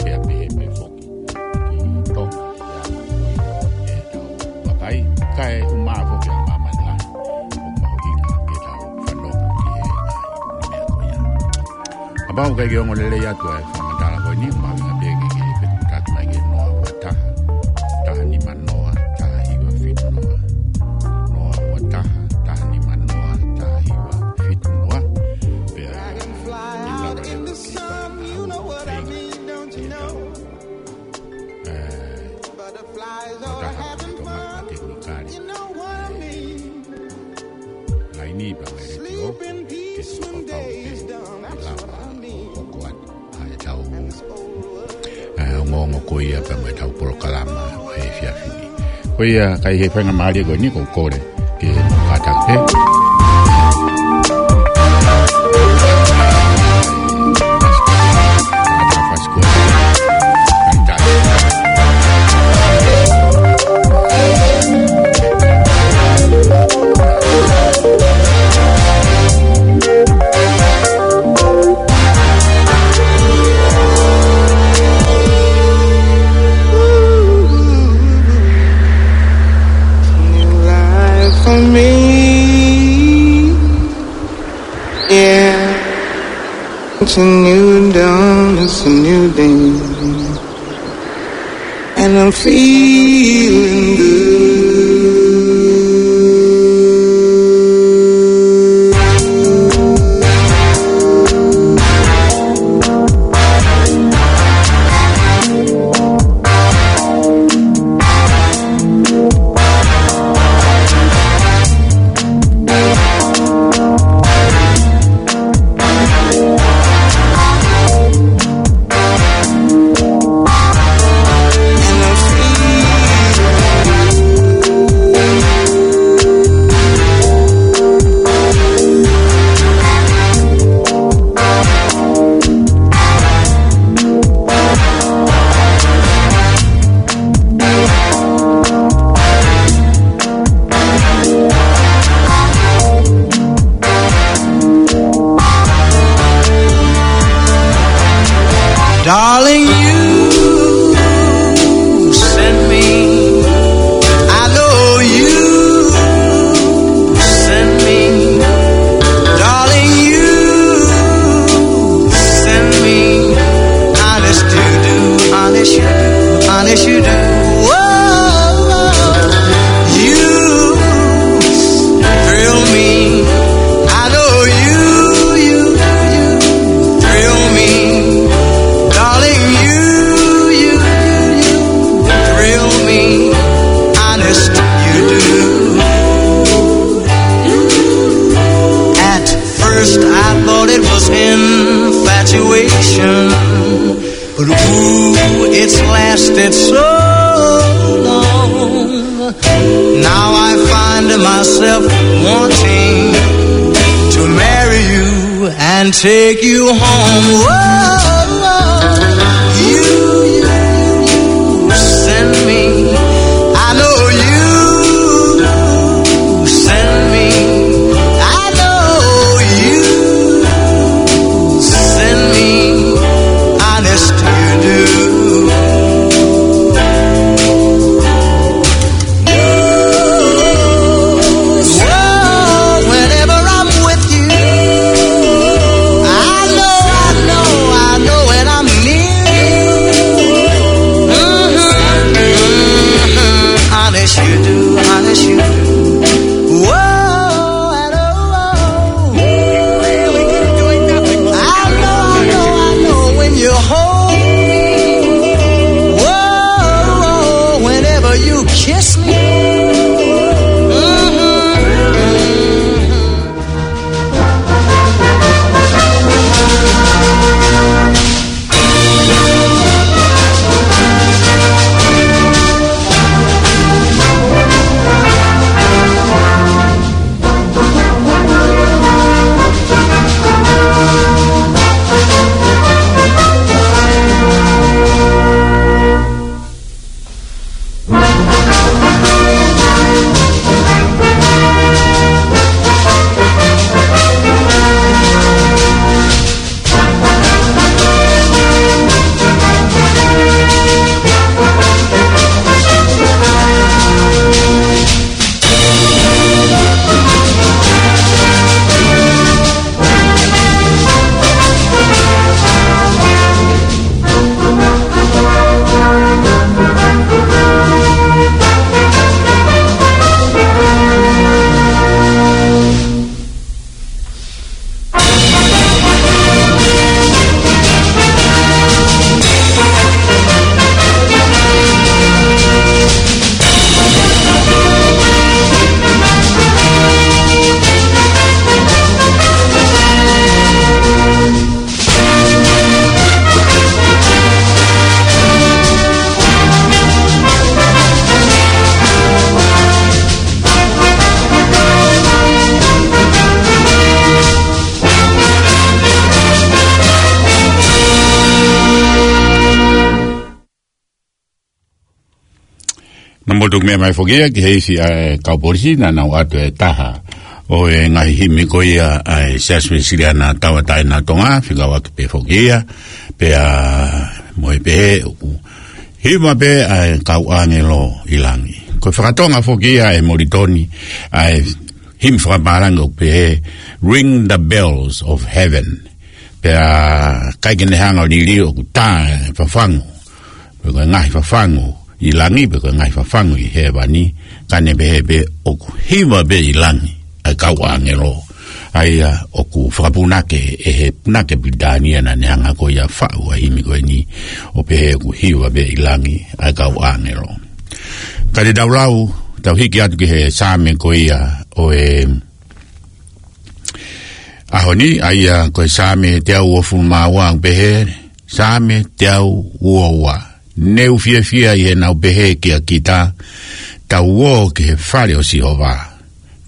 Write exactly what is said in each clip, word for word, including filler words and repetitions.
Pea pehē pē foki ki Tonga, ʻi he ʻaho ko ia ʻe tau vakai, kae ʻumaʻā foki ʻa māmani lahi ʻoku mahuʻinga ke tau fanongo ki he ngaahi meʻa ko ia. Kapau ʻoku ʻikai ke ongo lelei atu ʻa e fakamatala ko eni, mahuʻinga pē ke ke fetutaki mai ki he noa ua taha, taha nima noa, taha hiva fitu noa. Noa ua taha, taha nima noa, taha hiva fitu noa. Pea ʻe lava leva ke fai ha ʻaho feinga ke tau, ē, fakataha mo e toʻomataʻu tekinikale, ē, laini pea mo e letiō, ke fakapapauʻi pē ʻe lava ʻo hoko atu ʻa e tau, ē, ongoongo ko ia pea mo e tau polokalama ʻo e efiafi ni. Ko ia, ka ʻi he faingamālie ko eni, ʻoku ou kole ke kātaki pē. New life for me. Yeah. It's a new dawn, it's a new day. And I'm feeling good. Darling, you sent me. I know you sent me. Darling, you sent me. Honest you do, honest you do, honest you do. Whoa, you thrill me. I know you, you, you thrill me. Darling, you, you, you, you thrill me. Honest, you do. At first I thought it was infatuation, but ooh, it's lasted so long. Now I find myself wanting to marry you and take you home. Whoa, you, you send me. I know you send me. I know you send me. Honest, you do. Whoa, whenever I'm with you, I know, I know, I Naʻa mou tuku meʻa mai foki ia ki he isi ʻa e kau polisi naʻa nau ʻoatu e taha ʻo e ngaahi himi ko ia ʻa e Siasi Uēsiliana Tauʻatāina ʻo Tonga, fekauʻaki pē foki ia, pea mo e pehē ʻoku hiva pē ʻa e kau ʻāngelo ʻi langi. Ko e fakatonga foki ia ʻe Molitoni ʻa e himi fakapālangi ʻoku pehē, "Ring the bells of heaven." Pea ʻikai ke ne hanga ʻo liliu ʻoku tā e fafangu, pe ko e ngaahi fafangu ʻi langi, pe ko e ngaahi fafangu ʻi hēvani, ka ne pehē pē ʻoku hiva pē ʻi langi ʻa e kau ʻāngelo. ʻA ia ʻoku fakapunake ʻe he punake Pilitānia naʻa ne hanga ko ia ʻo faʻu ʻa e himi ko eni, ʻo pehē ʻoku hiva pē ʻi langi ʻa e kau ʻāngelo. Ka te tau lau, tau hiki atu ki he Saame ko ia ʻo e ʻaho ni, ʻa ia ko e Saame teau uofulu mā ua, ʻoku pehē, Saame teau ua ua. Ne u fiefia ʻi heʻenau pehē kia kita, "Tau ō ki he fale ʻo Sihova."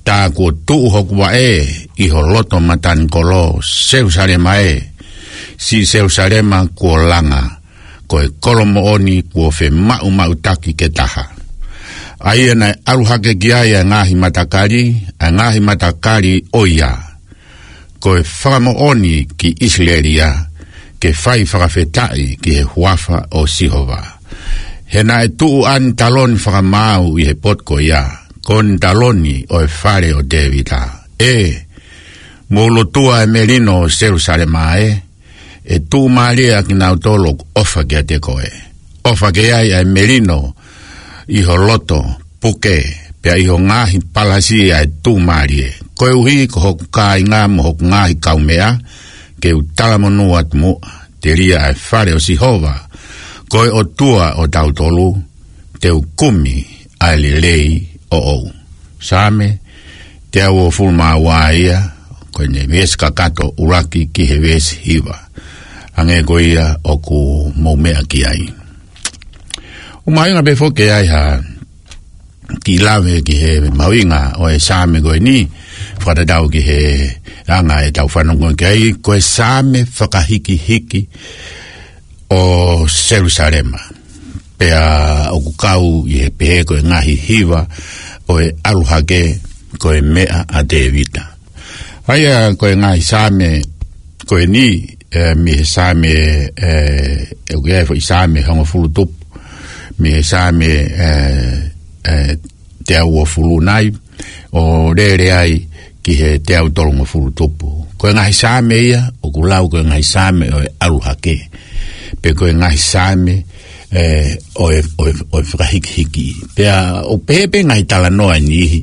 Tā kuo tuʻu hoku vaʻe ʻi ho loto matanikolo, Selusalema ē, siʻi Selusalema kuo langa, ko e kolo moʻoni kuo femaʻumaʻutaki ke taha. ʻA ia naʻe ʻalu hake ki ai ʻa e ngaahi matakali, ʻa e ngaahi matakali ʻo ia. Ko e fakamoʻoni ki ʻIsileli ia, ke fai fakafetaʻi ki he huafa ʻo Sihova. He naʻe tuʻu ʻa ʻene taloni fakamaau ʻi he potu ko ia, ko ʻene taloni ʻo e fale ʻo Tēvita. ʻE, mou lotua ʻa e melino ʻo Selusalema ē, ʻe tuʻumālie ʻa kinautolu ʻoku ʻofa kiate koe. ʻOfa ke ʻi ai ʻa e melino ʻi ho loto puke, pea ʻi ho ngaahi palasi ʻa e tuʻumālie. Koeʻuhi ko hoku kāinga mo hoku ngaahi kaumeʻa, ke u talamonū atu muʻa, telia ʻa e fale ʻo Sihova, ko e ʻOtua ʻo tautolu, te u kumi ʻa e lelei ʻoʻou. Saame teau uofulu mā ua ia, ko ʻene veesi kakato ʻuluaki ki he veesi hiva. Hangē ko ia ʻoku mou meʻa ki ai. ʻOku mahuʻinga pē foki ke ʻi ai ha kiʻi lave ki he mahuʻinga ʻo e Saame ko eni, fakatatau ki he anga ʻetau fanongo ki ai, ko e Saame fakahikihiki ʻo Selusalema. Pea ʻoku kau ʻi he pehē ko e ngaahi hiva ʻo e ʻalu hake ko e meʻa ʻa Tēvita. ʻA ia ko e ngaahi Saame ko eni, ē, mei he Saame, ē, ʻoku ʻi ai e foʻi Saame hongofulu tupu, mei he Saame, ē, ē, teau uofulu nai, ʻo lele ai ki he teau tolungofulu tupu. Ko e ngaahi Saame ia, ʻoku lau ko e ngaahi Saame ʻo e ʻalu hake. Pe ko e ngaahi Saame, ē, ʻo e, ʻo e, ʻo e fakahikihiki. Pea ʻoku pehē pē ngaahi talanoa ʻe niʻihi,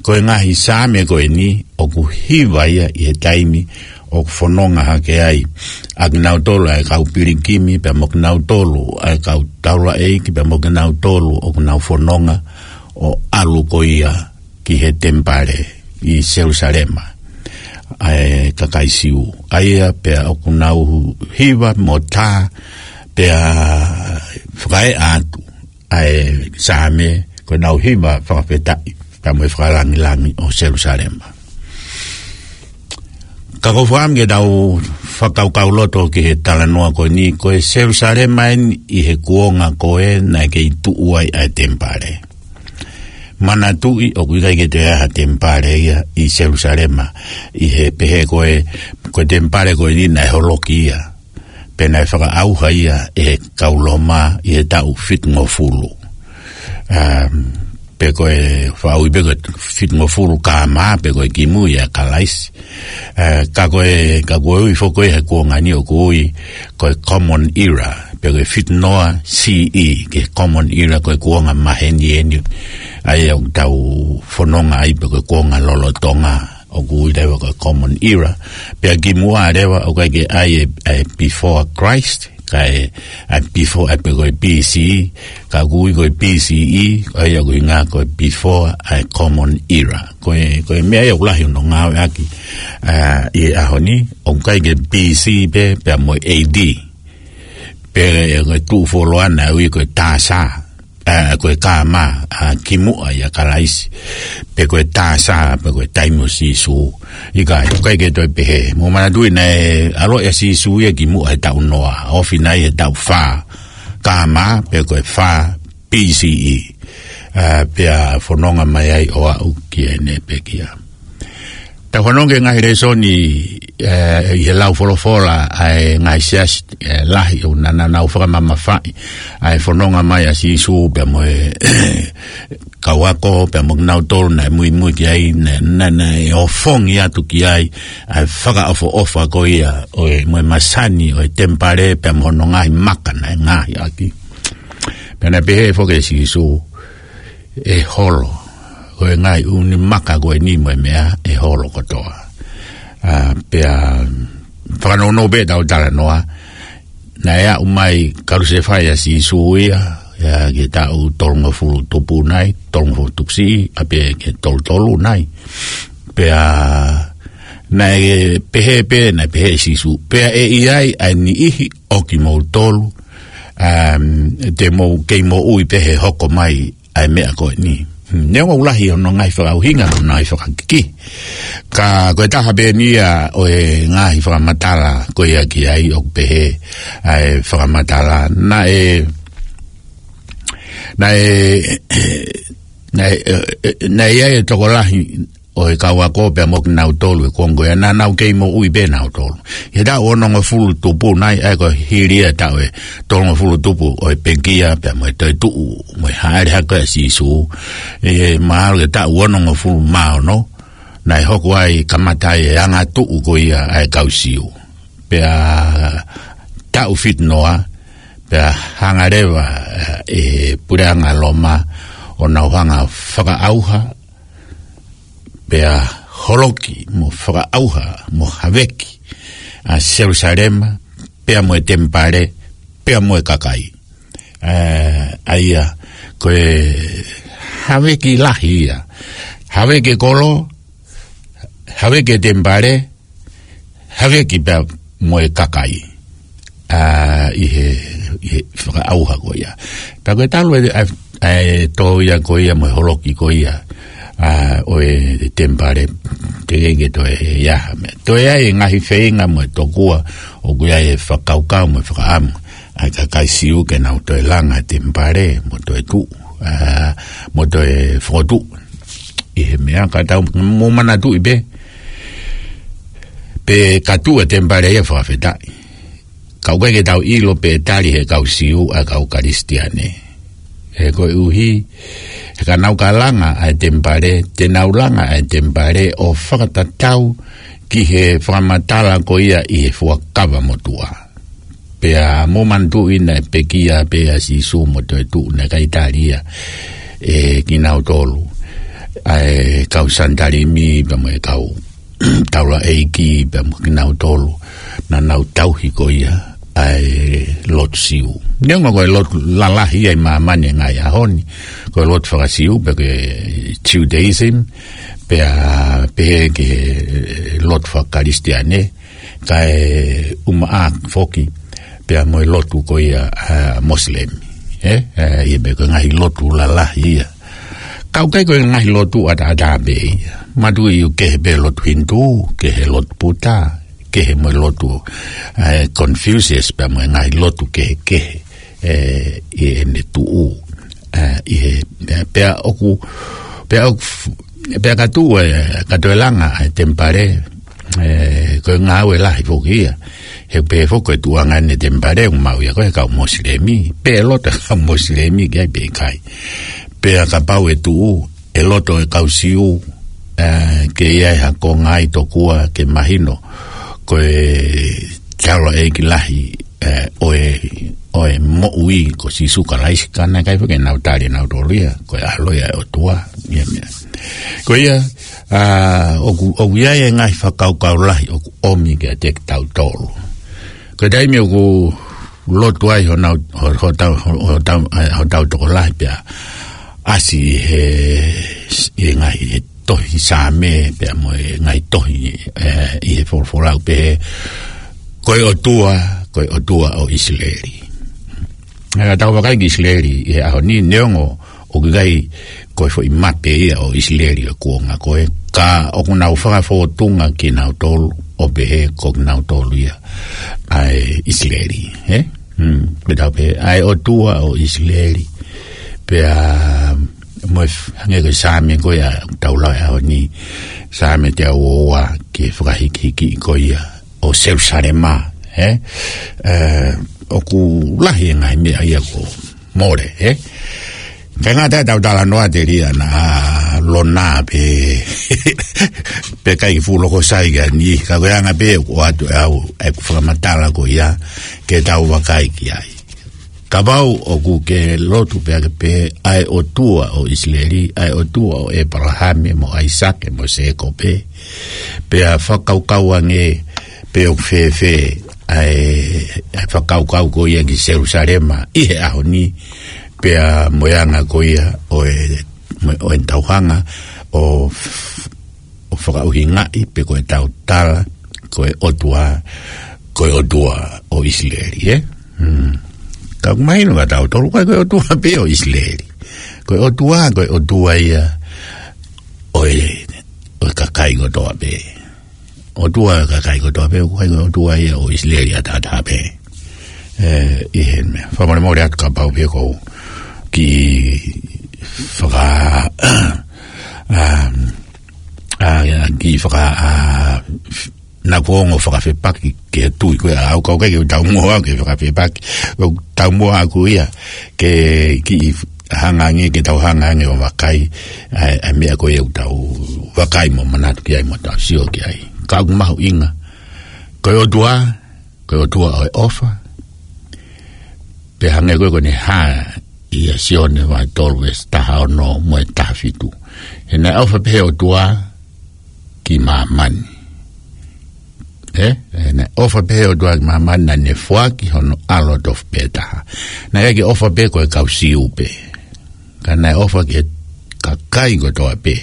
ko e ngaahi Saame ko eni, ʻoku hiva ia ʻi he taimi ʻoku fononga hake ai ʻa kinautolu ʻa e kau pilikimi, pea mo kinautolu ʻa e kau taulaʻeiki, pea mo kinautolu ʻoku nau fononga ʻo ʻalu ko ia ki he temipale ʻi Selusalema, ʻa e kakai Siu. ʻA ia pea ʻoku nau hiva mo tā, pea fakaeʻa atu ʻa e Saame, ko ʻenau hiva fakafetaʻi, pea mo e fakalāngilangi ʻo Selusalema. Ka ko e fakaʻamu ke tau fakakaukauloto ki he talanoa ko eni, ko e Selusalema eni ʻi he kuonga ko ē naʻe kei tuʻu ai ʻa e temipale. Manatuʻi ʻoku ʻikai ke toe ʻi ai ha temipale ia ʻi Selusalema, ʻi he pehē ko e, ko e temipale ko eni naʻe holoki ia. Pea naʻe fakaʻauha ia ʻe he kau Loma ʻi he taʻu fitungofulu. Um, pe ko e faʻu pē ko e fitungofulu K M, pe ko e kimui ʻa Kalaisi. Ē, ka ko e, ka ko e ui foki ko ē he kuonga ni ʻoku ui ko e Common Era, pe ko e fitungofulu C E, ki he Common Era, ko e kuonga maheni eni. ʻA ia ʻoku tau fononga ai pe ko e kuonga lolotonga. ʻOku ui leva ko e Common Era. Pea kimuʻa leva ʻoku ʻikai ke ʻi ai e, e before Christ, kae, ʻa e before, ʻa e pe ko e B C, ka ʻoku ui ko e B C E, ʻa ia ʻoku ʻuhinga ko e before ʻa e Common Era. Ko e, ko e meʻa ia ʻoku lahi hono ngāueʻaki, ā, ʻi he ʻaho ni, ʻoku ʻikai ke B C pē, pea mo e A D. Pea ko e tuʻu fuoloa naʻe ui ko e T S A, ē, ko e K M, ā, kimuʻa ʻia Kalaisi. Pe ko e T S A, pe ko e taimi ʻo Sīsū. ʻIkai, ʻoku ʻikai ke toe pehē. Mou manatuʻi naʻe ʻaloʻi ʻa Sīsū ia kimuʻa he taʻu noa. Ofi nai he taʻu fā K M, pe ko e fā B C E. ʻA, pea fononga mai ai ʻo aʻu ki heʻene pekia. Tau fanongo ki he ngaahi lēsoni, ʻe, ʻi he lau folofola ʻa e ngaahi siasi, ʻe, lahi ʻoku na, na, nau fakamamafaʻi ʻa e fononga mai ʻa Sīsū pea mo e kau ako, pea mo kinautolu naʻe muimui ki ai, naʻe, naʻe, naʻe ʻofongi atu ki ai ʻa e fakaʻofoʻofa ko ia ʻo e, mo e masani ʻo e temipale, pea mo hono ngaahi maka naʻe ngaohi ʻaki. Pea naʻe pehē foki ʻe Sīsū, ʻe holo, ko e ngaahi ʻū maka ko eni mo e meʻa ʻe holo kotoa. ʻA, pea fakanounou pē ʻetau talanoa, naʻe aʻu mai Kalusefai ʻa Sīsū ia, ia ki he taʻu tolungofulu tupu nai, tolungofulu tupu siʻi, ʻa pē ki he tolutolu nai. Pea naʻe pehē pē, naʻe pehē ʻe Sīsū, pea ʻe ʻi ai ʻa e niʻihi ʻo kimoutolu, um, te mou kei moʻui pē he hoko mai ʻa e meʻa ko eni. Hmm, neongo ʻoku lahi hono ngaahi fakaʻuhinga, hono ngaahi fakakiki. Ka ko e taha pē eni ia ʻo e ngaahi fakamatala ko ia ki ai ʻoku pehē ʻa e fakamatala. Naʻe, naʻe, naʻe, ʻe, ʻe, naʻe ʻi ai e tokolahi ʻo e kau ako pea mo kinautolu ʻi he kuonga ko ia naʻa nau kei moʻui pē nautolu. ʻI he taʻu onongofulu tupu nai, ʻa ia ko e hili ia e taʻu ʻe tolungofulu tupu ʻo e pekia pea mo e toetuʻu mo e hāʻele hake ʻa Sīsū, ʻe mahalo ki he taʻu onongofulu mā ono, naʻe hoko ai kamata ai e angatuʻu ko ia ʻa e kau Siu. Pea taʻu fitu noa, pea hanga leva ʻe he puleʻanga Loma ʻo nau hanga fakaʻauha, pea holoki mo fakaʻauha mo haveki ʻa Selūsalema, pea mo e temipale, pea mo e kakai. ʻE, ʻa ia, ko e haveki lahi ia. Haveki e kolo, haveki e temipale, haveki pea mo e kakai. ʻA, ʻi he, ʻi he fakaʻauha ko ia. Pea ko e talu e, ʻa, ʻa e tō ia ko ia mo e holoki ko ia, ʻa, ʻo e temipale, teʻeki ke toe ʻi ai ha meʻa. Toe ʻi ai e ngaahi feinga mo e tokua ʻoku ʻi ai e fakakaukau mo e fakaʻamu ʻa e kakai Siu ke nau toe langa e temipale mo toetuʻu, ʻa, mo toe fokotuʻu ʻi he meʻa. Ka tau mou manatuʻi pē, pea ka tuʻu e temipale ia, fakafetaʻi, ka ʻoku ʻikai ke tau ʻilo pe ʻe tali ʻe he kau Siu ʻa e kau Kalisitiane. He koeʻuhi, he ka nau ka langa ʻa e temipale, te nau langa ʻa e temipale ʻo fakatatau ki he fakamatala ko ia ʻi he Fuakava Motuʻa. Pea mou manatuʻi naʻe pekia pē ʻa Sīsū mo toetuʻu, naʻe ʻikai tali ia ʻe kinautolu ʻa e kau Sanitalimi pea mo e kau taulaʻeiki pea mo kinautolu naʻa nau tauhi ko ia ʻa e lotu Siu. Neongo ko e lotu lalahi ia ʻi māmani he ngaahi ʻaho ni, ko e lotu faka-Siu pe ko e Judaism, pea pehē ki he lotu faka-Kalisitiane, kae ʻumaʻā foki pea mo e lotu ko ia, ʻa, Mosilemi. ʻE, ʻe, ʻi he meʻa ko e ngaahi lotu lalahi ia. Ka ʻoku ʻikai ko e ngaahi lotu ʻataʻatā pē ia. Manatuʻi ʻoku kehe pē lotu Hinitū, kehe lotu Puta, kehe mo e lotu, ʻa, Confucius pea mo e ngaahi lotu kehekehe, ʻe, ʻi heʻene tuʻu, ʻa, ʻi he, ʻe, pea ʻoku, pea ʻoku, pea ka tuʻu, ʻe, ka toe langa ʻa e temipale, ʻe, ko e ngāue lahi foki ia. He pehē foki ko e tuʻunga ʻene temipale ʻoku maʻu ia ko e kau Mosilemi, pe ʻe loto e kau Mosilemi ki ai pe ʻikai. Pea kapau ʻe tuʻu, ʻe loto e kau Siu, ʻe, ke ʻi ai ha konga ʻi tokua ke mahino ko e taulaʻeiki lahi, ʻe, ʻo e, ʻo e moʻui ko Sīsū Kalaisi, ka naʻe ʻikai foki ke nau tali ʻe nautolu ia ko e ʻAlo ia ʻo e ʻOtua, ia meʻa. Ko ia, ʻa, ʻoku, ʻoku ʻi ai e ngaahi fakakaukau lahi ʻoku ʻomi kiate kitautolu. Ko e taimi ʻoku lotu ai honau, ho, hotau, ho, hotau, ʻa, hotau tokolahi pea ʻasi he, he ngaahi, he tohi Saame pea mo e ngaahi tohi, ʻe, ʻi he folofola ʻoku pehē, ko e ʻOtua, ko e ʻOtua ʻo ʻIsileli. ʻE, tau vakai ki ʻIsileli ʻi he ʻaho ni, neongo ʻoku ʻikai ko e foʻi mape ia ʻo ʻIsileli ʻo e kuonga ko ē, ka ʻoku nau fakafōtunga kinautolu ʻo pehē ko kinautolu ia ʻa e ʻIsileli, ē? Hmm, pea tau pehē, ʻa e ʻOtua ʻo ʻIsileli. Pea, mo e f-, hangē ko e Saame ko ia ʻoku tau lau he ʻaho ni, Saame teau ua, ki he fakahikihiki ko ia ʻo Selusalema, ē? Ē, ʻoku lahi e ngaahi meʻa ia kuo mole, ē? Kae ngata ai ʻetau talanoa telia naʻa lona pē, pē ʻikai fuʻu loko sai ki ai ni, ka ko e anga pē ʻoku ʻoatu ʻe au ʻeku fakamatala ko ia ke tau vakai ki ai. Kapau ʻoku ke lotu pea ke pehē ʻa e ʻOtua ʻo ʻIsileli, ʻa e ʻOtua ʻo ʻĒpalahame mo ʻAisake mo Sēkope, pea fakakaukau ange pe ʻoku fēfē ʻa e, ʻa e fakakaukau ko ia ki Selusalema ʻi he ʻaho ni, pea mo e anga ko ia ʻo e, mo e, ʻo e tauhanga ʻo f-, ʻo fakaʻuhingaʻi pe ko e tau tala, ko e ʻOtua, ko e ʻOtua ʻo ʻIsileli, ē? Hmm. Ka ʻoku mahino kia tautolu, ʻikai ko e ʻOtua pē ʻo ʻIsileli. Ko e ʻOtua, ko e ʻOtua ia ʻo e, ʻo e kakai kotoa pē. ʻOtua ʻo e kakai kotoa pē, ʻoku ʻikai ko e ʻOtua ia ʻo ʻIsileli ʻataʻatā pē. Ē, ʻi he meʻa. Fakamolemole atu kapau pē ʻoku ou kiʻi faka-, um, ʻa, ʻa, kiʻi faka-, ʻa, naʻa ku ongo fakafepaki ki he tui ko ia ʻaʻaku, ka ʻoku ʻikai ke u taumuʻa au ke fakafepaki. ʻOku taumuʻa ʻaʻaku ia ke kiʻi hanga ange, ke tau hanga ange ʻo vakai ʻa e, ʻa e meʻa ko ia ʻoku tau vakai mo manatu ki ai mo tau sio ki ai. Ka ʻoku mahuʻinga. Ko e ʻOtua, ko e ʻOtua ʻo e ʻofa. Pea hangē ko e, ko ʻene hā ʻia Sione vahe tolu veesi taha ono mo e taha fitu. He naʻe ʻofa pehē ʻOtua ki māmani. Ē? He naʻe ʻofa pehē ʻOtua ki māmani naʻa ne foaki hono ʻAlo tofu pē taha. Naʻe ʻikai ke ʻofa pē ko e kau Siu pē. Ka naʻe ʻofa ki he kakai kotoa pē.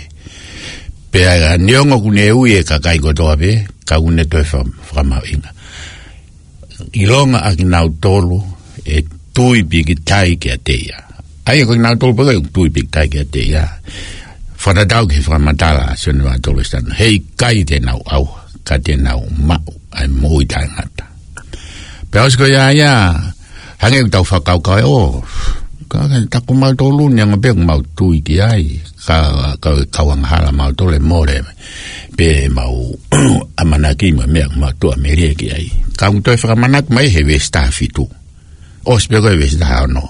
Pea neongo ʻoku ne ui e kakai kotoa pē, ka ʻoku ne toe fa-, fakamahuʻinga. ʻIlonga ʻa kinautolu ʻe tui pikitai kiate ia. ʻA ia ko kinautolu pē ʻoku tui pikitai kiate ia. Fakatatau ki he fakamatala ʻa Sione vahe tolu veesi taha ono. Heʻikai te nau ʻauha, ka te nau maʻu ʻa e moʻui taʻengata. Pea ʻosi ko ia ia, hangē ʻoku tau fakakaukau ē, ʻo, ka, ka, tā ko mautolu ni anga pē ʻoku mau tui ki ai, ka, ka, kau angahala mautolu ʻe mole, pea mau ʻamanaki mo e meʻa ʻoku mau tuʻamelie ki ai. Ka ʻoku toe fakamanatu mai he veesi taha fitu. ʻOsi pē ko e veesi taha ono.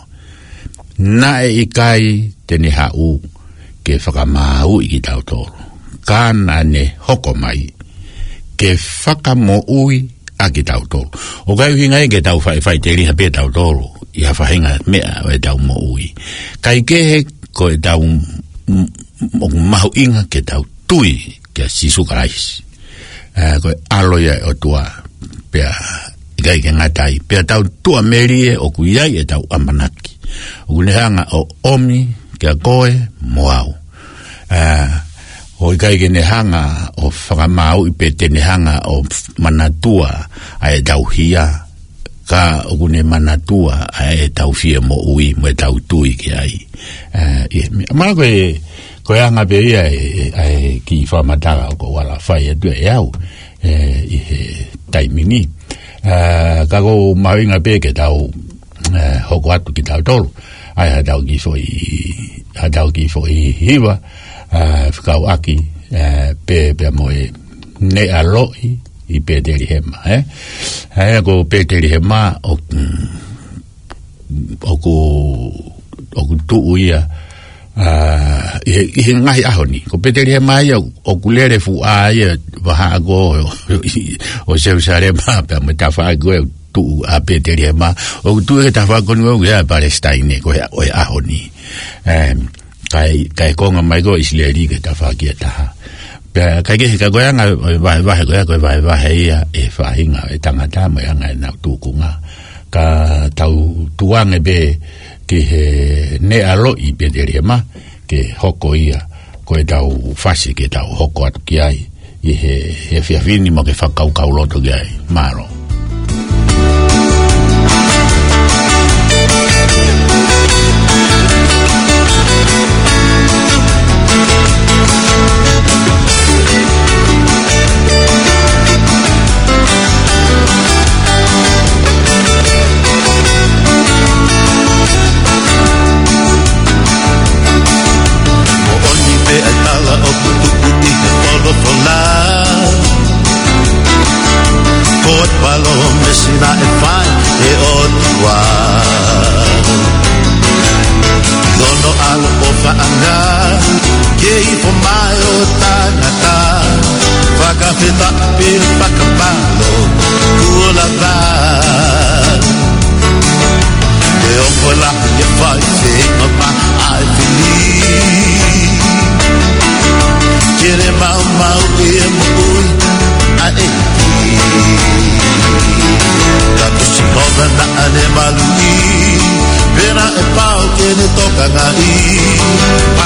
Naʻe ʻikai te ne haʻu ke fakamāuʻi kitautolu. Ka naʻa ne hoko mai ke fakamoʻui ʻa kitautolu. ʻOku ʻikai ʻuhinga ia ke tau fai, faʻiteliha pē tautolu ʻi ha faʻahinga meʻa ʻo ʻetau moʻui. Kae kehe ko ʻetau m-, m-, ʻoku mahuʻinga ke tau tui kia Sīsū Kalaisi. Ē, ko e ʻAlo ia ʻo e ʻOtua, pea ʻikai ke ngata ai. Pea tau tuʻamelie ʻoku ʻi ai ʻetau ʻamanaki. ʻOku ne hanga ʻo ʻomi kia koe mo au. Ē, ʻoku ʻikai ke ne hanga ʻo fakamāuʻi pe te ne hanga ʻo manatua ʻa ʻetau hia. Ka ʻoku ne manatua ʻa ʻetau fie moʻui mo ʻetau tui ki ai. Ē, ʻi he meʻa, ma ko e, ko e anga pē ia ʻe, ʻe, ʻa e kiʻi fakamatala ʻoku ou ala fai atu ʻe au, ē, ʻi he taimi ni. Ē, ka ʻoku mahuʻinga pē ke tau, ē, hoko atu kitautolu. ʻA e haʻatau kiʻi foʻi, haʻatau kiʻi foʻi hiva, ē, fekauʻaki, ē, pē, pea mo e Neʻa Loʻi ʻi Petelihema, ē? ʻA ia ko Petelihema ʻoku, ʻoku, ʻoku tuʻu ia, ā, ʻi he, ʻi he ngaahi ʻaho ni. Ko Petelihema ia ʻoku lele fuʻu ʻā ia vahaʻa ko ē ʻo, ʻo Selusalema pea mo e tafaʻaki ko ē ʻoku tuʻu ʻa Petelihema. ʻOku tuʻu he tafaʻaki ko eni ʻoku ʻi ai ʻa Palesitaine ko ē ʻo e ʻaho ni. Em, kae, kae konga mai ko ē ʻIsileli ki he tafaʻaki ʻe taha. Pea, kae kehe ka ko e anga ʻo e vahevahe ko ē, ko e vahevahe ia ʻe he faʻahinga ʻo e tangata mo e anga ʻenau tūkunga. Ka tau tuʻu ange pē ki he Neʻa Loʻi ʻi Petelihema, ke hoko ia ko ʻetau fasi ke tau hoko atu ki ai ʻi he, he efiafi ni mo ke fakakaukau loto ki ai. Mālō. Pil pakapalo kuo lava. Te ongo lahi e fai se mama ai fili. Kere mau mau e moʻui ai. Ka kusi kona na ane maluʻi. Pena e pau ke ne tokangaʻi.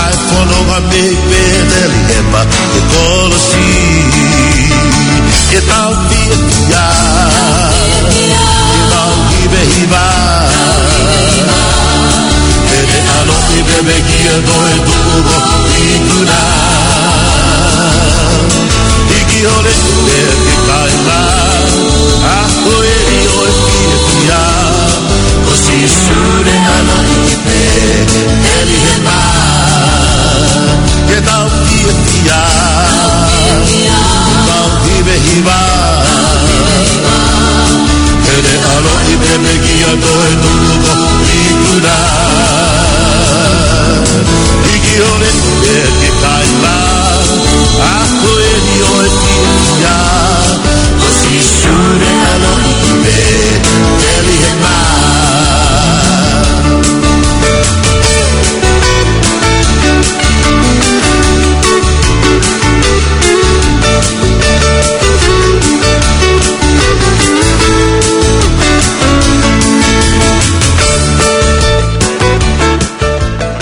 Ai fononga mei Petelihema ke kolosi. Ke tau fiefia. Ke tau hivehiva. Ke ne ʻaloʻi pē meʻa kia toe tuʻu ko ikuna. Hiki hole e ke kaila. A ko e ʻi ʻo e fiefia. Ko Sīsū ne ʻaloʻi pē Petelihema. Ke tau fiefia. Tau hivehiva. Ke ne ʻaloʻi pē meʻa kia toe tuʻu ko ikuna. Hiki hole e ke kaila. A ko e ʻi ʻo e fiefia. Ko Sīsū ne ʻaloʻi pē Petelihema.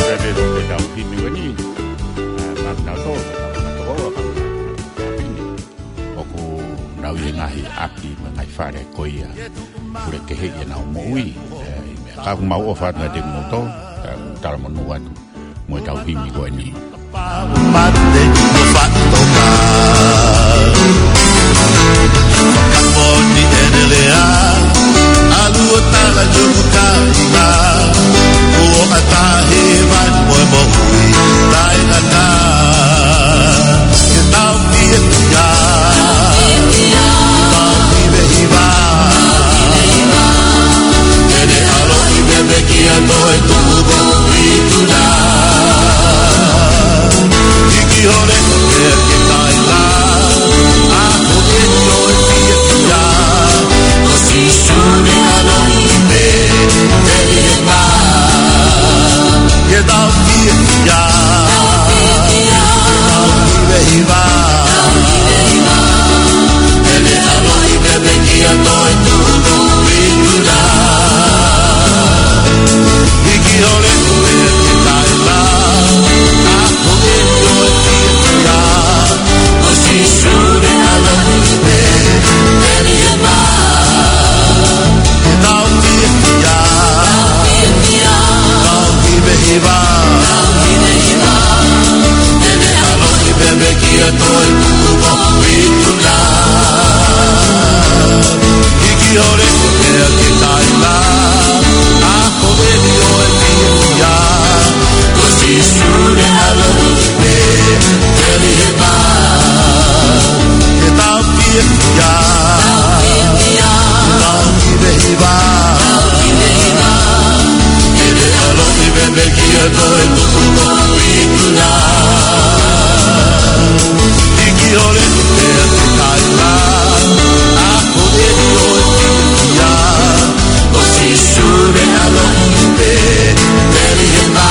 Ka pē ko e tau himi ko eni, ʻa, ma tau tō, ma tau tō, ma tau tō, ʻoku nau ʻi he ngaahi ʻapi mo e ngaahi fale ko ia. Pule kehe ʻi heʻenau moʻui. ʻE, ʻi he meʻa ka ʻoku mau ʻofa atu kiate kimoutolu, ʻe, talamonū atu mo e tau himi ko eni. Mate mo fatoka. Ka moni ʻene lea, ʻalu ʻo tala ki hoku kaina. Kuo ʻatā he vani mo e moʻui taʻengata. Ke tau fiefia, tau hivehiva. Ke ne ʻaloʻi pē meʻa kia toe tuʻu ko ikuna. Hiki hole e ke kaila. A ko e ʻi ʻo e fiefia. Ko Sīsū ne ʻaloʻi pē Petelihema. Ke tau fiefia. Tau hivehiva. Ke ne ʻaloʻi pē meʻa kia toe tuʻu ko ikuna. Hiki hole e ke kaila. A ko e ʻi ʻo e fiefia. Ko Sīsū ne ʻaloʻi pē Petelihema. Tau fiefia. Tau hivehiva. Ke ne ʻaloʻi pē meʻa kia toe tuʻu ko ikuna. Hiki hole e ke kaila. A ko e ʻi ʻo e fiefia. Ko Sīsū ne ʻaloʻi pē Petelihema. Ke tau fiefia. Tau hivehiva. Ke ne ʻaloʻi pē meʻa kia toe tuʻu ko ikuna. Hiki hole e ke kaila. A ko e ʻi ʻo e fiefia. Ko Sīsū ne ʻaloʻi pē Petelihema.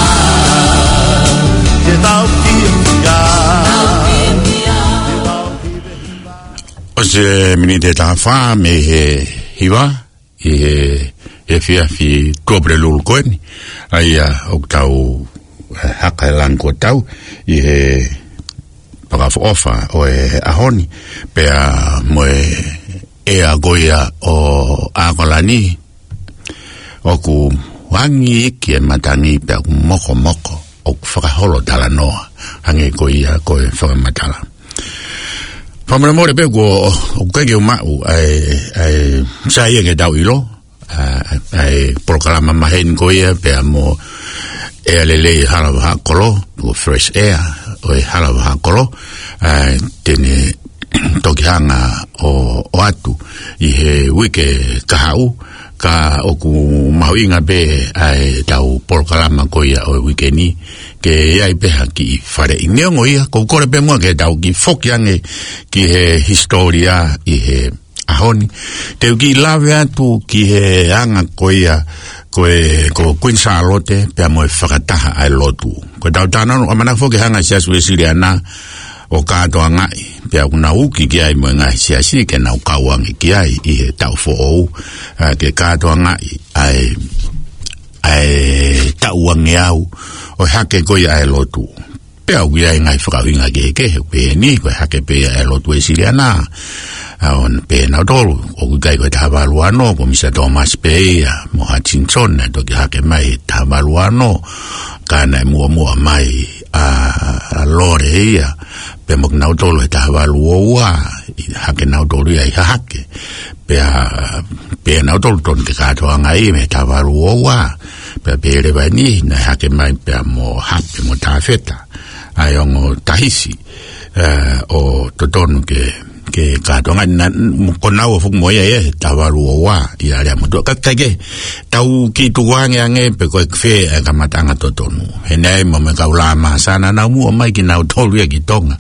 Ke tau fiefia. ʻOsi e miniti ʻe taha fā mei he hiva, ʻi he, he efiafi Tuʻapulelulu ko eni. ʻA ia ʻoku tau, ʻe, haka e langi ko tau, ʻi he fakaʻofoʻofa ʻo e ʻaho ni, pea mo e ʻea ko ia ʻo ʻAokalani, ʻoku angi ki he matangi pea ʻoku mokomoko, ʻoku fakaholo talanoa, hangē ko ia ko e fakamatala. Fakamolemole pē kuo, ʻoku ʻikai ke u maʻu ʻa e, ʻa e, sai ia ke tau ʻilo, ʻa, ʻa e polokalama maheni ko ia, pea mo ʻea lelei hala vahaʻa kolo, ko Fresh Air, ʻo e hala vahaʻa kolo, ʻa, te ne toki hanga ʻo, ʻoatu ʻi he uike kahaʻu, Ka ʻoku mahuʻinga pē ʻa ʻetau polokalama ko ia ʻo e uike ni, ke ʻi ai pē ha kiʻi faleʻi. Neongo ia, ʻoku ou kole pē muʻa ke tau kiʻi foki ange ki he hisitōlia ʻi he ʻaho ni. Te u kiʻi lave atu ki he anga ko ia, ko e, ko Kuini Sālote, pea mo e fakataha ʻa e lotu. Ko ʻetau talanoa, ʻamanaki foki ke hanga ʻe he Siasi Uēsiliana ʻo kātoangaʻi, pea ʻoku nau uki ki ai mo e ngaahi siasi ke nau kau ange ki ai ʻi he taʻu foʻou, ā, ke kātoangaʻi ʻa e, ʻa e taʻu angeau ʻo e hake ko ia ʻa e lotu. Pea ʻoku ʻi ai e ngaahi fakaʻuhinga kehekehe, pehē ni, ko e hake pē ia ʻa e lotu Uēsiliana, ā, ʻo pehē ʻe nautolu, ʻoku ʻikai ko e taha valu ono, ko Misa Thomas pē ia, mo Hutchinson, naʻe toki hake mai he taha valu ono, ka naʻe muʻomuʻa mai ʻa, ʻa Lore ia, pea mo kinautolu he taha valu ua, ʻi hake nautolu ia ʻi Hahake. Pea, pea nautolu tonu ke kātoangaʻi mei he taha valu ua. Pea pehē leva eni, naʻe hake mai pea mo Hape mo Tafeta, ʻa e ongo Tahisi, ē, ʻo totonu ke, ke kātoangaʻi, naʻa, ko naua foki mo ia ia he taha valu ua, ʻi Aleamotuʻa. Ka, ka ke, tau kiʻi tukuange ange pe ko e fē ʻa e kamataʻanga totonu. He naʻe ʻi ai mo e kau Lāmasa naʻa nau muʻomuʻa mai kinautolu ia ki Tonga.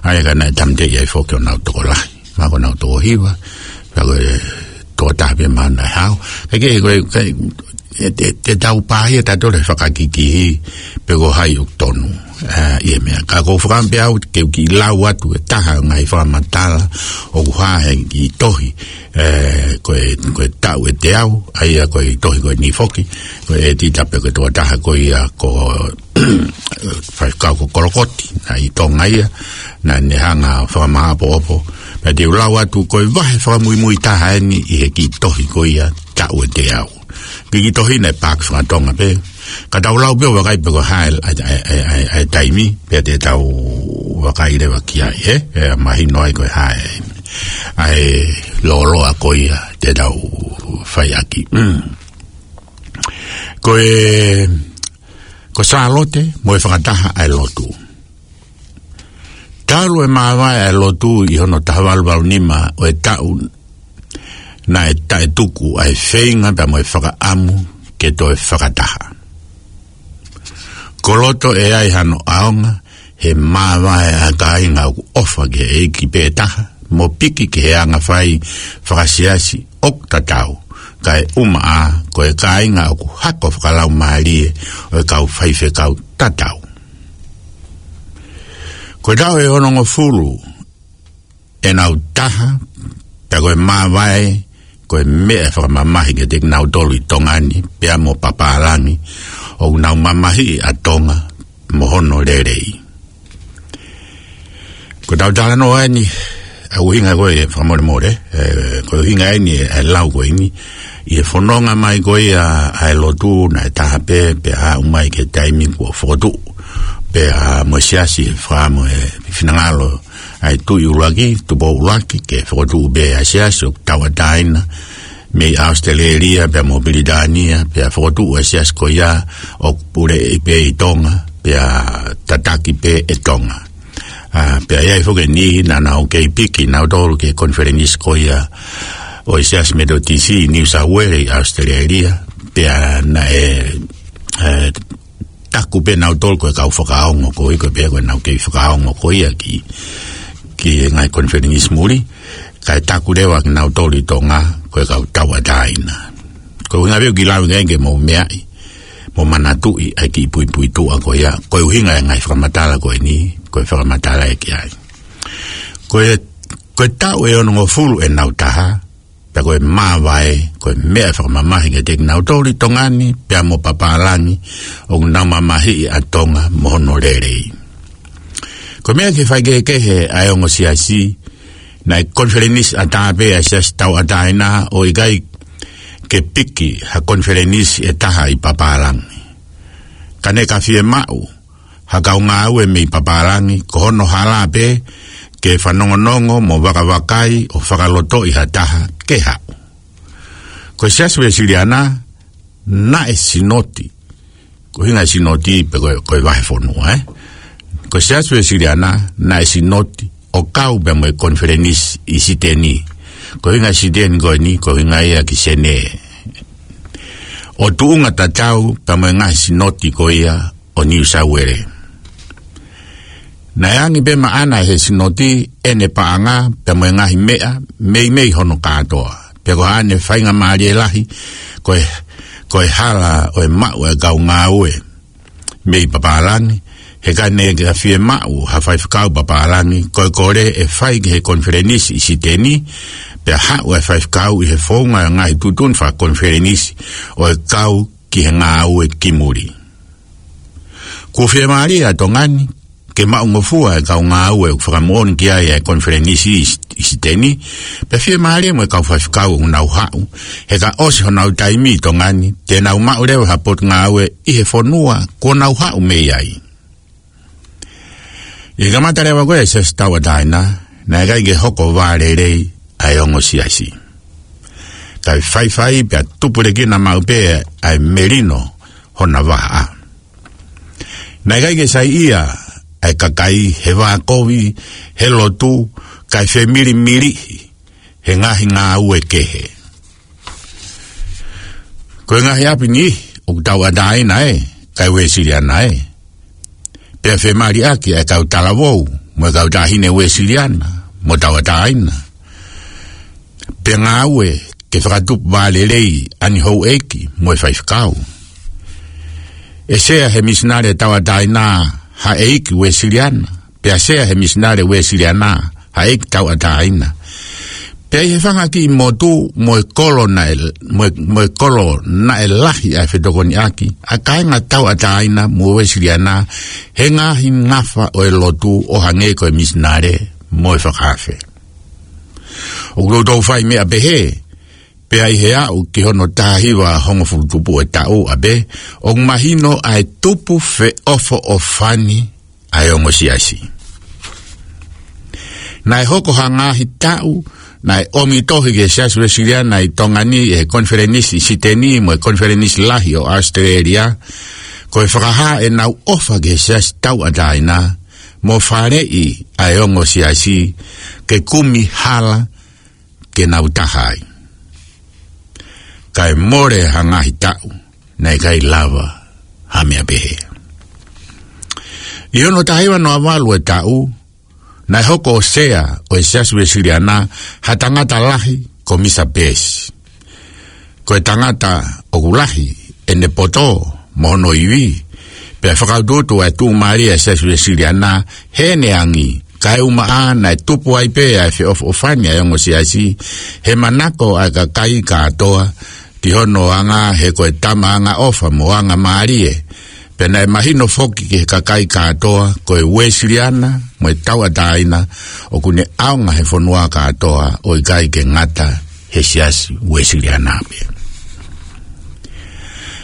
ʻA ia ka naʻe tāmateʻi ai foki honau tokolahi. Mahalo ko honau toko hiva, pea ko e toko taha pē mahalo naʻe hao. Ka ke, ko e, ka, ē, te, te tau pāhia tautolu he fakakikihi, pe ko hai ʻoku tonu. Ā, ʻi he meʻa. Ka ʻoku ou fakaʻamu pē au ke u kiʻi lau atu e taha ʻo e ngaahi fakamatala ʻoku hā he kiʻi tohi, ē, ko e, ko e Taʻu ʻe Teau, ʻa ia ko e tohi ko eni foki, ko e ʻētita pe ko e tokotaha ko ia ko Faifekau ko Kolokoti, naʻe ʻi Tonga ia, naʻa ne hanga ʻo fakamāʻopoʻopo. Pea te u lau atu ko e vahe fakamuimui taha eni ʻi he kiʻi tohi ko ia Taʻu ʻe Teau. Kiʻi tohi naʻe paaki faka-Tonga pē. Ka tau lau pē ʻo vakai pe ko e hā e, ʻa e, ʻa e, ʻa e, ʻa e taimi, pea te tau vakai leva ki ai, ē? ʻE mahino ai ko e hā e, ʻa e lōloa ko ia te tau fai ʻaki. Mm. Ko e, ko Sālote mo e fakataha ʻa e lotu. Talu e māvae ʻa e lotu ʻi hono taha valu valu nima ʻo e taʻu, naʻe taʻetuku ʻa e feinga pea mo e fakaʻamu ke toe fakataha. Ko loto ʻe ʻi ai hano ʻaonga he māvae ʻa e kāinga ʻoku ʻofa ki he ʻEiki pē taha, mo piki ki he anga fai fakasiasi ʻoku tatau, kae ʻumaʻā ko e kāinga ʻoku hako fakalaumālie ʻo e kau faifekau tatau. Ko e taʻu ʻe onongofulu ʻenau taha, pea ko e māvae, ko e meʻa fakamamahi kiate kinautolu ʻi Tonga ni, pea mo papālangi, ʻoku nau mamahiʻi ʻa Tonga mo hono lelei. Ko ʻetau talanoa eni, ʻa e ʻuhinga ko e fakamolemole, ē, ko e ʻuhinga eni ʻa e lau ko eni, ʻi he fononga mai ko ia ʻa e lotu naʻe taha pē, pea aʻu mai ki he taimi kuo fokotuʻu pē ʻa e siasi, fakaʻamu e finangalo ʻa e Tuʻi ʻUluaki, Tupou ʻUluaki, ke fokotuʻu pē ʻa e siasi ʻoku tauʻatāina mei ʻAositelēlia pea mo Pilitānia, pea fokotuʻu ʻa e siasi ko ia ʻoku puleʻi pē ʻi Tonga, pea tataki pē ʻe Tonga. Ā, pea ʻi ai foki e niʻihi naʻa nau kei piki nautolu ki he konifelenisi ko ia ʻo e Siasi Metotisi ʻi New South Wales ʻi ʻAositelēlia, pea naʻe, ē, taku pē nautolu ko e kau fakaongo, koeʻuhi ko e pehē ko ʻenau kei fakaongo ko ia ki, ki he ngaahi konifelenisi muli, kae taku leva kinautolu ʻi Tonga ko e kau tauʻatāina. Ko e ʻuhinga pē ʻoku ou kiʻi lau ki ai ke mou meaʻi mo manatuʻi ʻa e kiʻi puipuituʻa ko ia, ko e ʻuhinga e ngaahi fakamatala ko eni, ko e fakamatala ē ki ai. Ko e, ko e taʻu ʻe onongofulu ʻenau taha, pea ko e māvae, ko e meʻa fakamamahi kiate kinautolu ʻi Tonga ni, pea mo papālangi, ʻoku nau mamahiʻi ʻa Tonga mo hono lelei. Ko e meʻa ki he faikehekehe ʻa e ongo siasi, naʻe konifelenisi ʻatā pē ʻa e siasi tauʻatāina ʻo ʻikai ke piki ha konifelenisi ʻe taha ʻi papālangi. Ka ne ka fiemaʻu ha kau ngāue mei papālangi, ko hono hala pē ke fanongonongo mo vakavakai ʻo fakalotoʻi ha taha ke haʻu. Ko e Siasi Uēsiliana naʻe sinoti. Ko e ʻuhinga e sinoti pe ko e, ko e vahefonua, ē? Ko e Siasi Uēsiliana naʻe sinoti ʻo kau pē mo e konifelenisi ʻi Siteni. Ko e ʻuhinga e Siteni ko eni, ko e ʻuhinga ia ki Senē. ʻo tuʻunga tatau pea mo e ngaahi sinoti ko ia ʻo Niu Sauele. Naʻe angi pē maʻana ʻe he sinoti ʻene paʻanga pea mo e ngaahi meʻa meimei hono kātoa. Pea ko haʻane faingamālie lahi ko e, ko e hala ʻo e maʻu ʻa e kau ngāue mei papālangi, he ka ne ka fiemaʻu ha faifekau papālangi, ko e kole ʻe fai ki he konifelenisi ʻi Siteni, pea haʻu e faifekau ʻi he founga ʻo e ngaahi tuʻutuʻuni fakakonifelenisi ʻo e kau ki he ngāue ki muli. Kuo fiemālie ʻa Tonga ni ke maʻungofua e kau ngāue ʻoku fakamoʻoni ki ai e konifelenisi ʻi, ʻi Siteni, pea fiemālie mo e kau faifekau ʻoku nau haʻu, he ka ʻosi honau taimi ʻi Tonga ni, te nau maʻu leva ha potungāue ʻi he fonua kuo nau haʻu mei ai. ʻI he kamata leva ko ē e Siasi Tauʻatāina, naʻe ʻikai ke hoko vālelei ʻa e ongo siasi. Kae faifai pea tupulekina maʻu pē ʻa e melino hona vahaʻa. Naʻe ʻikai ke saiʻia ʻa e kakai he vākovi, he lotu, kae femilimiliʻi he ngaahi ngāue kehe. Ko e ngaahi ʻapi ni ʻoku tauʻatāina ē, kae Uēsiliana ē. Pea femaliʻaki ʻa e kau talavou mo e kau taʻahine Uēsiliana mo tauʻatāina. Pea ngāue ke fakatupu vālelei ʻa e ngaahi houʻeiki mo e faifekau. ʻE sea he misinale tauʻatāina ha ʻeiki Uēsiliana, pea sea he misinale Uēsiliana ha ʻeiki tauʻatāina. Pea ʻi he fanga kiʻi motu mo e kolo naʻe, mo e, mo e kolo naʻe lahi ʻa e fetokoniʻaki ʻa e kāinga tauʻatāina mo Uēsiliana he ngaahi ngafa ʻo e lotu ʻo hangē ko e misinale mo e fakaafe. ʻOku toutou fai meʻa pehē, pea ʻi he aʻu ki hono taha hiva hongofulu tupu ʻo e taʻu ʻapē, ʻoku mahino ʻa e tupu feʻofoʻofani ʻa e ongo siasi. Naʻe hoko ha ngaahi taʻu naʻe ʻomi tohi ki he Siasi Uēsiliana ʻi Tonga ni ʻe he konifelenisi ʻi Siteni mo e konifelenisi lahi ʻo ʻAositelēlia, ko e fakahā ʻenau ʻofa ki he Siasi Tauʻatāina mo faleʻi ʻa e ongo siasi ke kumi hala ke nau taha ai. Kae mole ha ngaahi taʻu naʻe ʻikai lava ha meʻa pehē. ʻI hono taha hiva noa valu e taʻu, naʻe hoko ʻo sea ʻo e Siasi Uēsiliana ha tangata lahi ko Misa Peesi. Ko e tangata ʻoku lahi ʻene poto mo hono ivi, pea fakautuutu ʻa e tuʻumālie ʻa e Siasi Uēsiliana heʻene angi, kae ʻumaʻā naʻe tupu ai pē ʻa e feʻofoʻofani ʻa e ongo siasi he manako ʻa e kakai kātoa ki hono anga he ko e tama angaʻofa mo angamālie. Pea naʻe mahino foki ki he kakai kātoa ko e Uēsiliana mo e tauʻatāina ʻoku ne ʻaonga he fonua kātoa ʻo ʻikai ke ngata he Siasi Uēsiliana pē.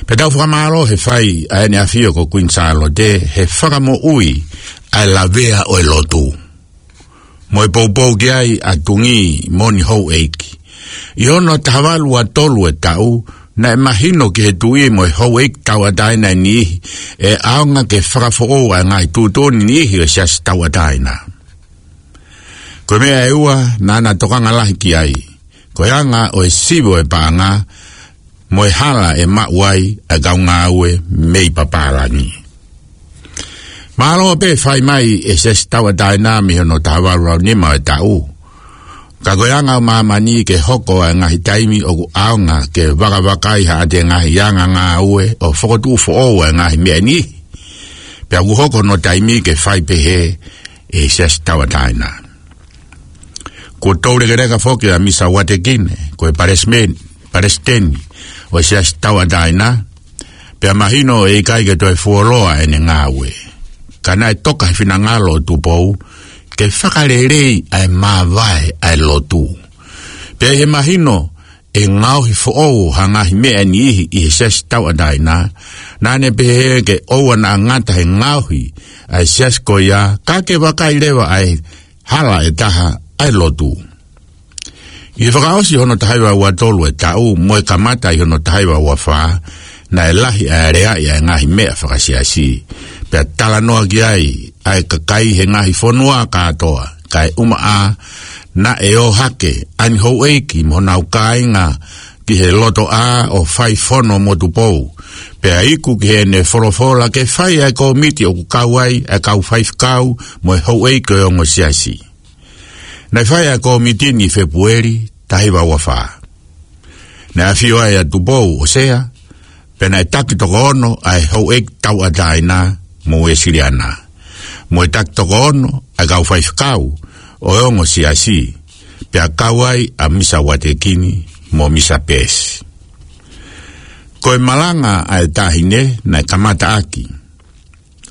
Pea tau fakamālō he fai ʻa ʻEne ʻAfio ko Kuini Sālote he fakamoʻui ʻa e lavea ʻo e lotu mo e poupou ki ai ʻa Tungī mo e ngaahi houʻeiki. ʻI hono taha valu ua tolu e taʻu, naʻe mahino ki he tuʻi mo e houʻeiki tauʻatāina ʻe niʻihi ʻe ʻaonga ke fakafoʻou ʻa e ngaahi tuʻutuʻuni niʻihi ʻo e Siasi Tauʻatāina. Ko e meʻa ʻe ua naʻá na tokanga lahi ki ai, ko e anga ʻo e sivi ʻo e paʻanga mo e hala ʻe maʻu ai ʻa e kau ngāue mei papālangi. Mālō pē fai mai e Siasi Tauʻatāina mei hono taha valu ua nima e taʻu. Ka ko e anga ʻo māmani ke hoko ʻa e ngaahi taimi ʻoku ʻaonga ke vakavakai haʻate ngaahi anga ngāue ʻo fokotuʻu foʻou ʻa e ngaahi meʻa ni. Pea ʻoku hoko hono taimi ke fai pehē e Siasi Tauʻatāina. Kuo toulekeleka foki ʻa Misa Uatekine ko e palesime-, palesiteni ʻo e Siasi Tauʻatāina, pea mahino ʻe ʻikai ke toe fuoloa ʻene ngāue. Ka naʻe toka he finangalo ʻo Tupou ke fakaleleiʻi ʻa e māvae ʻa e lotu. Pea ʻi he mahino ʻe ngaohi foʻou ha ngaahi meʻa ʻe niʻihi ʻi he Siasi Tauʻatāina, naʻá ne pehē ke ʻoua naʻa ngata he ngaohi ʻa e siasi ko ia, ka ke vakai leva ʻa e hala ʻe taha ʻa e lotu. ʻI he fakaʻosi hono taha hiva ua tolu e taʻu mo e kamata ʻi hono taha hiva ua fā, naʻe lahi ʻa e aleaʻi ʻa e ngaahi meʻa fakasiasi, pea talanoa ki ai ʻa e kakai he ngaahi fonua kātoa, kae ʻumaʻā naʻe ō hake ʻa e ngaahi houʻeiki mo honau kāinga ki he lotoʻā ʻo fai fono mo Tupou, pea iku ki heʻene folofola ke fai ʻa e kōmiti ʻoku kau ai ʻa e kau faifekau mo e houʻeiki ʻo e ongo siasi. Naʻe fai ʻa e kōmiti ni ʻi Fēpueli taha hiva ua fā. Naʻe ʻafio ai ʻa Tupou ʻo sea, pea naʻe taki toko ono ʻa e houʻeiki tauʻatāina mo Uēsiliana, mo e taki toko ono ʻa e kau faifekau ʻo e ongo siasi, pea kau ai ʻa Misa Uatekini mo Misa Peesi. Ko e malanga ʻa e taʻahine naʻe kamata ʻaki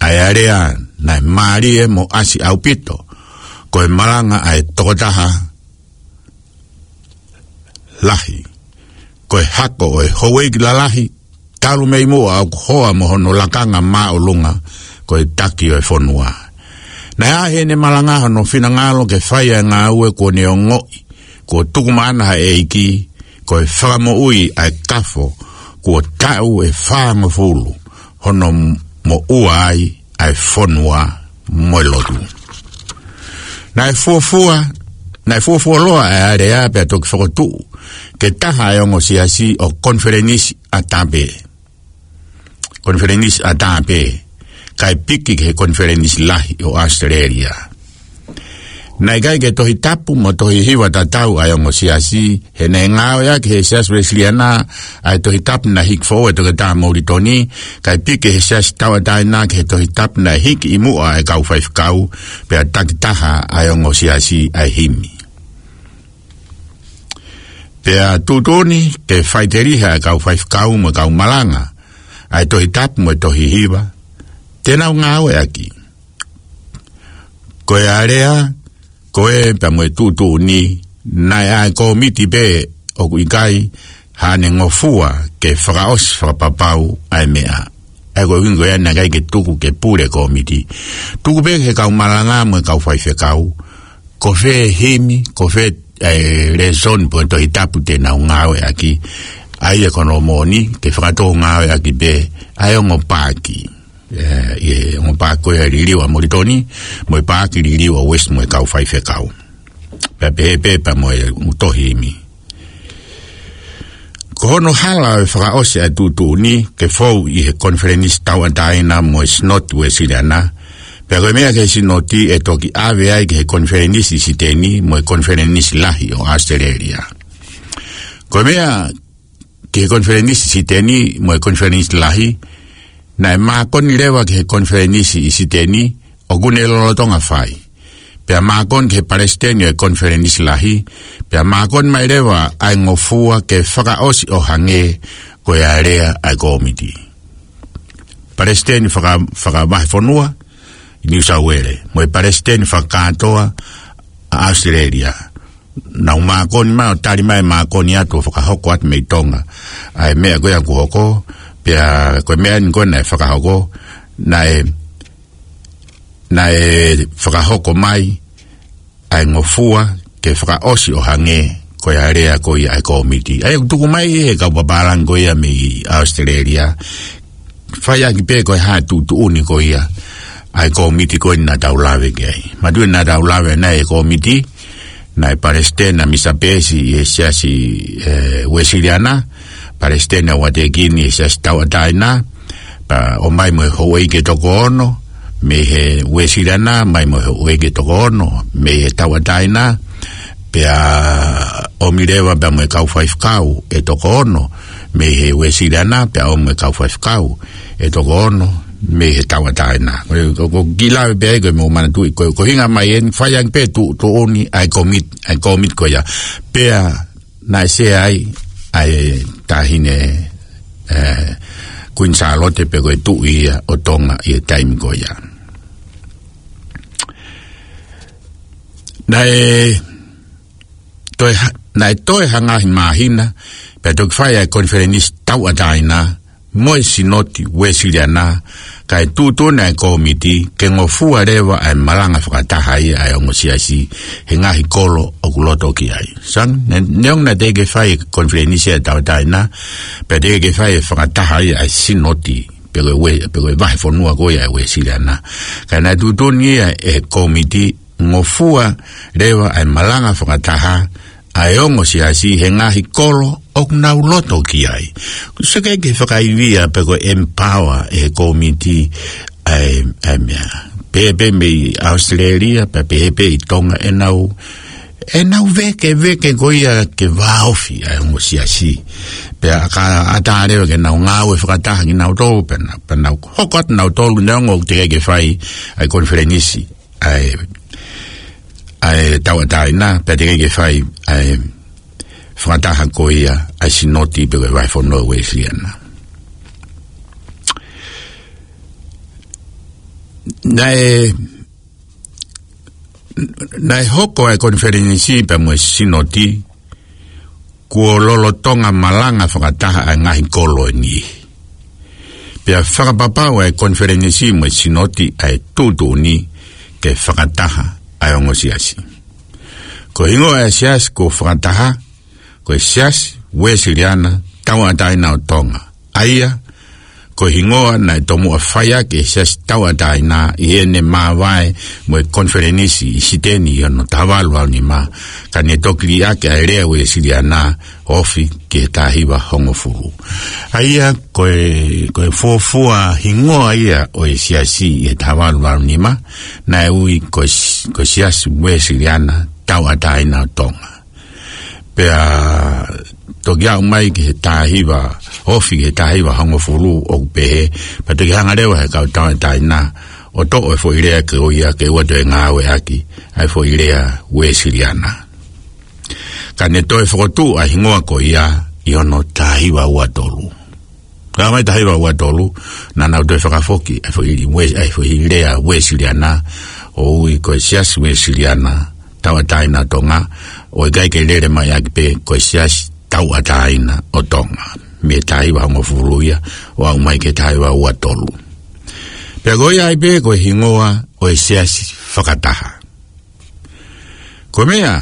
ʻa e alea naʻe mālie mo ʻasi ʻaupito, ko e malanga ʻa e tokotaha lahi, ko e hako ʻo e houʻeiki lalahi talu mei muʻa ʻoku hoa mo hono lakanga māʻolunga, ko e taki ʻo e fonua. Naʻe ʻi heʻene malanga hono finangalo ke fai ʻa e ngāue kuo ne ongoʻi kuo tuku maʻana ʻe he ʻEiki, ko e fakamoʻui ʻa e kafo kuo taʻu ʻe fāngofulu, hono moʻua ai ʻa e fonua mo e lotu. Naʻe fuofua, naʻe fuofuoloa ʻa e alea pea toki fokotuʻu ke taha ʻa e ongo siasi ʻo Konifelenisi ʻAtā pē. Konifelenisi ʻAtā pē, kae piki ki he Konifelenisi Lahi ʻo ʻAositelēlia. Naʻe ʻikai ke tohi tapu mo tohi hiva tatau ʻa e ongo siasi, he naʻe ngāueʻaki ʻe he Siasi Uēsiliana ʻa e tohi tapu naʻe hiki foʻou ʻe Toketā Molitoni, kae piki ʻe he Siasi Tauʻatāina ki he tohi tapu naʻe hiki ʻi muʻa ʻe he kau faifekau, pea taki taha ʻa e ongo siasi ʻa e himi. Pea tuʻutuʻuni ke faʻiteliha ʻa e kau faifekau mo e kau malanga ʻa e tohi tapu mo e tohi hiva te nau ngāueʻaki. Ko e alea ko ē pea mo e tuʻutuʻuni, naʻe ʻa e kōmiti pē ʻoku ʻikai haʻane ngofua ke fakaʻosi fakapapau ʻa e meʻa. ʻA ia ko e ʻuhinga ia naʻe ʻikai ke tuku ke pule kōmiti. Tuku pē ki he kau malanga mo e kau faifekau, ko fē himi, ko fē, ē, lēsoni pe ko e tohi tapu te nau ngāueʻaki. ʻA ia ko hono moʻoni, ke fakatou ngāueʻaki pē ʻa e ongo paaki. Ē, ʻi he ongo paaki ko ia liliu ʻa Molitoni, mo e paaki liliu ʻa Uesi mo e kau faifekau. Pea pehē pē pea mo e tohi himi. Ko hono hala ʻo e fakaʻosi ʻa e tuʻutuʻuni ke fou ʻi he Konifelenisi Tauʻatāina mo e Sinoti Uēsiliana, pea ko e meʻa ki he Sinoti ʻe toki ʻave ai ki he Konifelenisi Siteni mo e Konifelenisi Lahi ʻo ʻAositelēlia. Ko e meʻa ki he Konifelenisi Siteni mo e Konifelenisi Lahi, naʻe mākoni leva ki he Konifelenisi ʻi Siteni ʻoku ne lolotonga fai. Pea mākoni ki he Palesiteni ʻo e Konifelenisi Lahi, pea mākoni mai leva ʻa e ngofua ke fakaʻosi ʻo hangē ko e alea ʻa e kōmiti. Palesiteni faka-, fakavahefonua ʻi Niu Sauele, mo e Palesiteni fakakātoa ʻa ʻAositelēlia. Nau mākoni mai ʻo tali mai mākoni atu ʻo fakahoko atu mei Tonga ʻa e meʻa ko ia kuo hoko, pea ko e meʻa ni ko ē naʻe fakahoko, naʻe, naʻe fakahoko mai ʻa e ngofua ke fakaʻosi ʻo hangē ko e alea ko ia ʻa e kōmiti. ʻA ia ʻoku tuku mai ʻe he kau papālangi ko ia mei ʻAositelēlia, fai ʻaki pē ko e hā e tuʻutuʻuni ko ia ʻa e kōmiti ko eni naʻa tau lave ki ai. Manatuʻi naʻa tau lave naʻe ʻi he kōmiti, naʻe Palesiteni ʻa Misa Peesi ʻi he Siasi, ē, Uēsiliana, Palesiteni ʻa Uatekini ʻi he Siasi Tauʻatāina, pea ʻomai mo e houʻeiki ʻe toko ono mei he Uēsiliana, mai mo e houʻeiki ʻe toko ono mei he Tauʻatāina, pea ʻomi leva pea mo e kau faifekau ʻe toko ono mei he Uēsiliana, pea ʻomi mo e kau faifekau ʻe toko ono mei he Tauʻatāina. Ko, ko, ko e kiʻi lave pē ia ko e mou manatuʻi, ko, ko e ʻuhinga mai eni fai ʻaki pē tuʻutuʻuni ʻa e kōmiti, ʻa e kōmiti ko ia. Pea naʻe sea ai ʻa e taʻahine, ē, Kuini Sālote pe ko e tuʻi ia ʻo Tonga ʻi he taimi ko ia. Naʻe toe ha-, naʻe toe ha ngaahi māhina, pea toki fai ʻa e Konifelenisi Tauʻatāina mo e Sinoti Uēsiliana, kae tuʻutuʻuni ʻa e kōmiti ke ngofua leva ʻa e malanga fakataha ia ʻa e ongo siasi he ngaahi kolo ʻoku loto ki ai. Sang, ne-, neongo naʻe teʻeki ke fai e Konifelenisi ʻa e Tauʻatāina, pea teʻeki ke fai e fakataha ia ʻa e Sinoti, pe ko e ue-, pe ko e vahefonua ko ia ʻa e Uēsiliana. Ka naʻe tuʻutuʻuni ia ʻe he kōmiti ngofua leva ʻa e malanga fakataha ʻa e ongo siasi he ngaahi kolo ʻoku nau loto ki ai. Kuo ʻosi ke fakaivia pe ko e empower ʻe he kōmiti ʻa e, ʻa e meʻa. Pehē pē mei ʻAositelēlia, pea pehē pē ʻi Tonga ʻenau, ʻenau vekeveke ko ia ke vāofi ʻa e ongo siasi. Pea ka ʻatā leva ke nau ngāue fakataha kinautolu, pea nau, pea nau hoko atu nautolu neongo ʻoku teʻeki ke fai ʻa e konifelenisi ʻa e, ʻa e tauʻatāina, pea teʻeki ke fai ʻa e fakataha ko ia ʻa e sinoti pe ko e vahefonua Uēsiliana. Naʻe, naʻe hoko ʻa e konifelenisi pea mo e sinoti kuo lolotonga malanga fakataha ʻa e ngaahi kolo ʻe niʻihi. Pea fakapapau ʻa e konifelenisi mo e sinoti ʻa e tuʻutuʻuni ke fakataha ʻa e ongo siasi. Ko e hingoa ʻa e siasi kuo fakataha, ko e Siasi Uēsiliana Tauʻatāina ʻo Tonga. ʻA ia, ko e hingoa naʻe tomuʻa fai ʻaki ʻe he Siasi Tauʻatāina ʻi heʻene māvae mo e konifelenisi ʻi Siteni ʻi hono taha valu valu nima, ka ne toki liʻaki ʻa e lea Uēsiliana ofi ki he taha hiva hongofulu. ʻA ia, ko e, ko e fuofua hingoa ia ʻo e siasi ʻi he taha valu valu nima, naʻe ui ko e s-, ko e Siasi Uēsiliana Tauʻatāina ʻo Tonga. Pea toki aʻu mai ki he taha hiva, ofi ki he taha hiva hongofulu ʻoku pehē, pea toki hanga leva ʻe he kau tauʻatāina ʻo toʻo e foʻi lea ko ia ke ʻoua toe ngāueʻaki ʻa e foʻi lea Uēsiliana. Ka ne toe fokotuʻu ʻa e hingoa ko ia ʻi hono taha hiva ua tolu. Ka mai taha hiva ua tolu, naʻa nau toe fakafoki ʻa e foʻi Uē-, ʻa e foʻi lea Uēsiliana, ʻo ui ko e Siasi Uēsiliana Tauʻatāina ʻo Tonga, ʻo ʻikai ke lele mai ʻaki pē ko e Siasi Tauʻatāina ʻo Tonga. Mei he taha hiva hongofulu ia, ʻo aʻu mai ki he taha hiva ua tolu. Pea ko ia ai pē ko e hingoa ʻo e siasi fakataha. Ko e meʻa,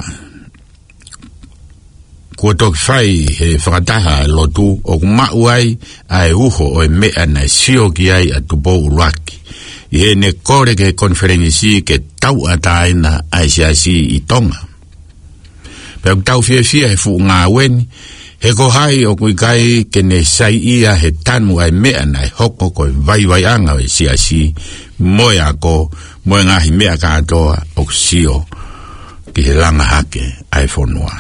kuo toki fai he fakataha ʻa e lotu ʻoku maʻu ai ʻa e uho ʻo e meʻa naʻe sio ki ai ʻa Tupou ʻUluaki ʻi heʻene kole ki he konifelenisi ke tauʻatāina ʻa e siasi ʻi Tonga. Pea ʻoku tau fiefia he fuʻu ngāue ni, he ko hai ʻoku ʻikai ke ne saiʻia he tanu ʻa e meʻa naʻe hoko ko e vaivaiʻanga ʻo e siasi, mo e ako, mo e ngaahi meʻa kātoa ʻoku sio ki he langa hake ʻa e fonua.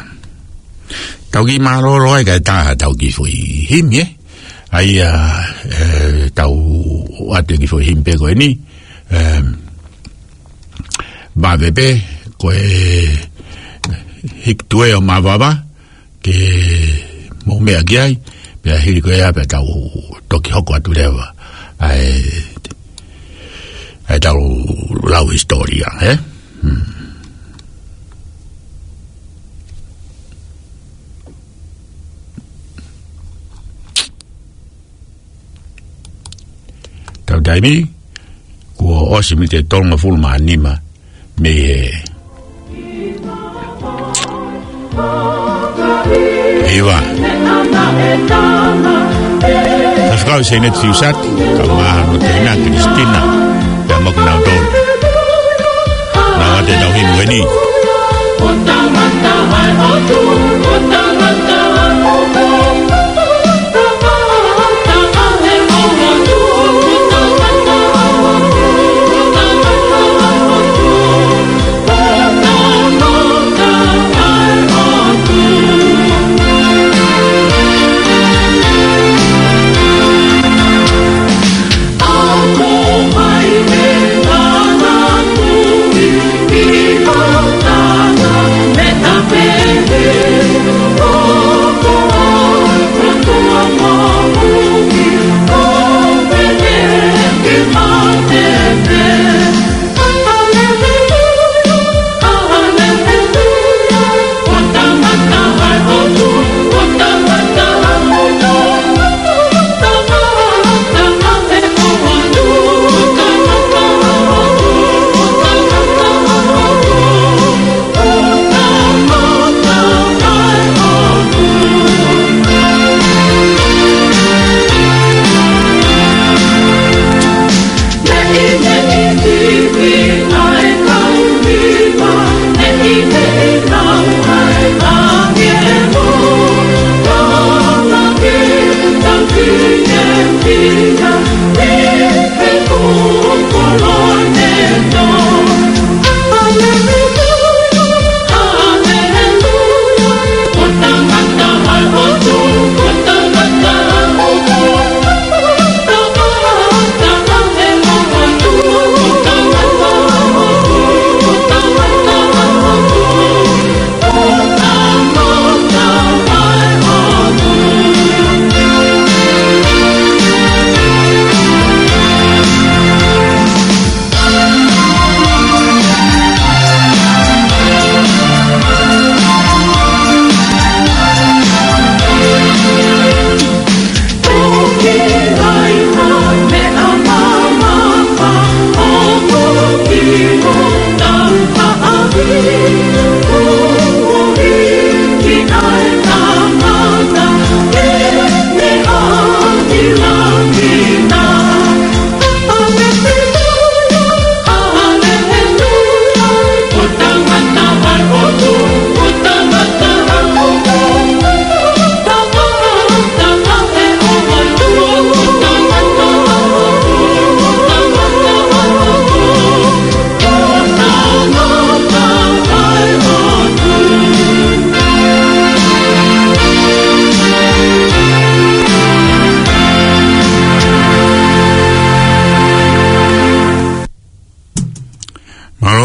Tau kiʻi mālōlō ai kae tā ha tau kiʻi foʻi himi, ē? ʻA ia, ē, tau ʻoatu e kiʻi foʻi himi pē ko eni, ē, vave pē, ko e Hiki Tuʻe ʻo Mavava, ke mou meʻa ki ai, pea hili ko ia pea tau toki hoko atu leva ʻa e, ʻa e tau lau hisitōlia, ē? Hmm. Tau taimi, kuo ʻosi miniti ʻe tolungofulu mā nima mei he hiva. Faifekau Seineti Fiusati, kae ʻumaʻā hono teina Kilisitina, pea mo kinautolu. Naʻa te tau himi eni.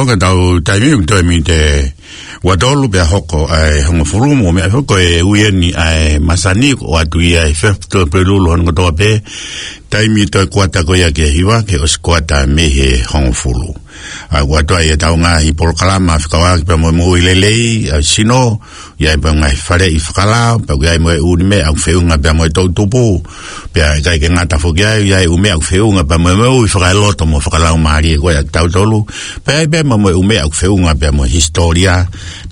Ko ʻetau taimi ʻoku toe miniti ua tolu pea hoko ʻa e hongofulu, mo meʻa hoko e uieni ʻa e masani ko atu ia ʻi he fefto pe lulu hon kotoa pē. Taimi toe kuata ko ia ke hiva ke ʻosi kuata mei he hongofulu. ʻA, ʻoku ʻi ai ʻetau ngaahi polokalama fekauʻaki pea mo e moʻui lelei ʻa e sino, ʻi ai pē ngaahi faleʻi fakalao, pea ʻoku ʻi ai mo e ʻū meʻa ʻoku feʻunga pea mo e toʻutupu, pea ʻikai ke ngata foki ai, ʻi ai ʻū meʻa ʻoku feʻunga pea mo e moʻui fakaeloto mo fakalaumālie ko ia ʻa tautolu, pea ʻi ai pē mo e ʻū meʻa ʻoku feʻunga pea mo e hisitōlia,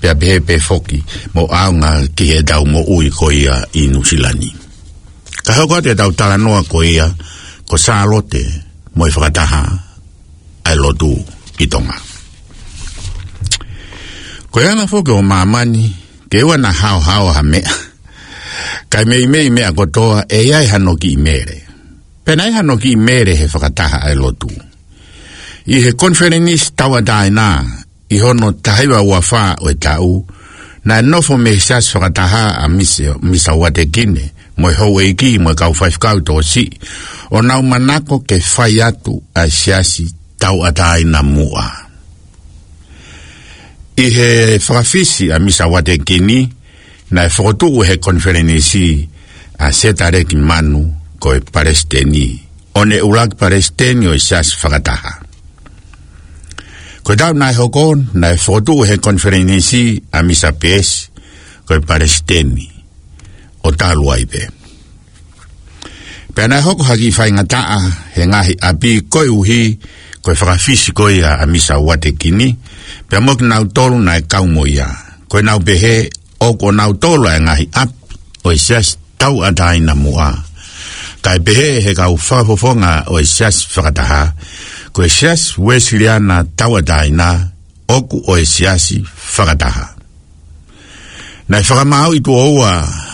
pea pehē pē foki mo ʻaonga ki heʻetau moʻui ko ia ʻi Nuʻusila ni. Ka hoko atu ʻetau talanoa ko ia, ko Sālote mo e fakataha ʻa e lotu ʻi Tonga. Ko e anga foki ʻo māmani, ke ʻoua naʻa haohaoa ha meʻa, kae meimei meʻa kotoa ʻe ʻi ai hano kiʻi mele. Pea naʻe ʻi ai hano kiʻi mele he fakataha ʻa e lotu. ʻI he konifelenisi tauʻatāina, ʻi hono taha hiva ua fā ʻo e taʻu, naʻe nofo mei he siasi fakataha ʻa Misa, Misa Uatekini, mo e houʻeiki, mo e kau faifekau tokosiʻi, ʻo nau manako ke fai atu ʻa e siasi tauʻatāina muʻa. ʻI he fakafisi ʻa Misa Uatekini, naʻe fokotuʻu he konifelenisi ʻa Setaleki Manu ko e palesiteni, ʻo ne ʻuluaki palesiteni ʻo e siasi fakataha. Ko e taʻu naʻe hoko, naʻe fokotuʻu he konifelenisi ʻa Misa Peesi ko e palesiteni, ʻo talu ai pē. Pea naʻe hoko ha kiʻi faingataʻa he ngaahi ʻapi koeʻuhi ko e fakafisi ko ia ʻa Misa Uatekini, pea mo kinautolu naʻe kau mo ia. Ko ʻenau pehē, ʻoku ʻonautolu ʻa e ngaahi ʻapi ʻo e siasi tauʻatāina muʻa. Kae pehē he kau fakafofonga ʻo e siasi fakataha, ko e Siasi Uēsiliana Tauʻatāina, ʻoku ʻo e siasi fakataha. Naʻe fakamaauʻi tuʻo ua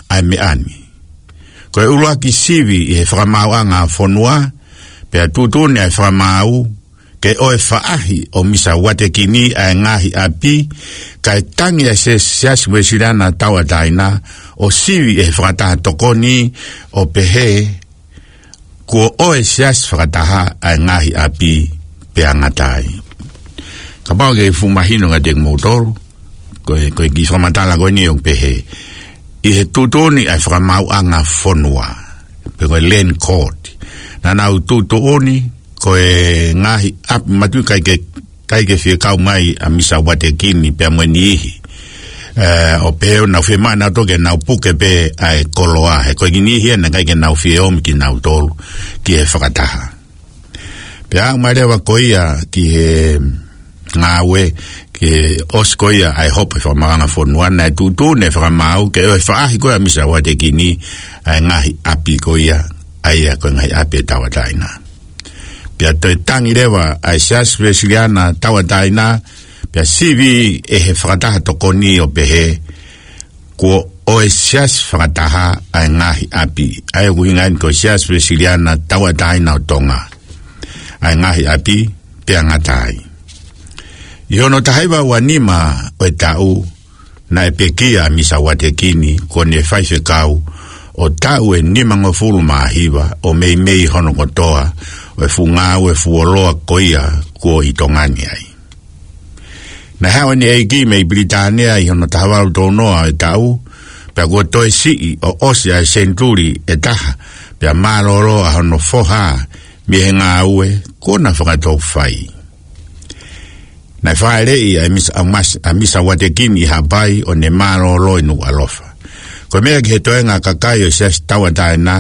ʻa e meʻa ni. Ko e ʻuluaki sivi ʻi he fakamaauʻanga fonua, pea tuʻutuʻuni ʻa e fakamaau ke ʻoe faʻahi ʻo Misa Uatekini ʻa e ngaahi ʻapi, kae tangi ʻa e Siasi Uēsiliana Tauʻatāina, ʻo sivi ʻe he fakataha tokoni ʻo pehē, kuo ʻoe siasi fakataha ʻa e ngaahi ʻapi pea ngata ai. Kapau ke fuʻu mahino kiate kimoutolu, ko e, ko e kiʻi fakamatala ko eni ʻoku pehē, ʻi he tuʻutuʻuni ʻa e fakamaauʻanga fonua, pe ko e land court, naʻa nau tuʻutuʻuni, ko e ngaahi ʻapi matuʻi ʻikai ke ʻikai ke fie kau mai ʻa Misa Uatekini pea mo e niʻihi. ʻE, ʻo pehē ʻoku nau fiemaʻu nautolu ke nau puke pē ʻa e koloa, he ko e kiʻi niʻihi ia naʻe ʻikai ke nau fie ʻomi kinautolu ki he fakataha. Pea aʻu mai leva ko ia ki he ngāue, ki he ʻosi ko ia ʻa e hopo ʻa e fakamaauʻanga fonua, naʻe tuʻutuʻuni ʻa e fakamaau ke ʻoe faʻahi ko ia ʻa Misa Uatekini ʻa e ngaahi ʻapi ko ia, ʻa ia ko e ngaahi ʻapi ʻe tauʻatāina. Pea toe tangi leva ʻa e Siasi Uēsiliana Tauʻatāina, pea sivi ʻe he fakataha tokoni ʻo pehē, kuo ʻoe siasi fakataha ʻa e ngaahi ʻapi. ʻA ia ʻoku ʻuhinga eni ko e Siasi Uēsiliana Tauʻatāina ʻo Tonga, ʻa e ngaahi ʻapi pea ngata ai. ʻI hono taha hiva ua nima ʻo e taʻu, naʻe pekia ʻa Misa Uatekini kuo ne faifekau ʻo taʻu ʻe nimangofulu mā hiva ʻo meimei hono kotoa ʻo e fuʻu ngāue fuoloa ko ia kuo ʻi Tonga ni ai. Naʻe haʻu ʻene ʻeiki mei Pilitānia ʻi hono taha valu tolu noa ʻo e taʻu, pea kuo toe siʻi ʻo ʻosi ʻa e senituli ʻe taha, pea mālōlō ʻa hono foha mei he ngāue kuo na fakatou fai. Naʻe fāʻeleʻi ʻa e Misa, ʻa Mas-, ʻa Misa Uatekini ʻi Haʻapai ʻo ne mālōlō ʻi Nukuʻalofa. Ko e meʻa ki he toenga kakai ʻo e Siasi Tauʻatāina,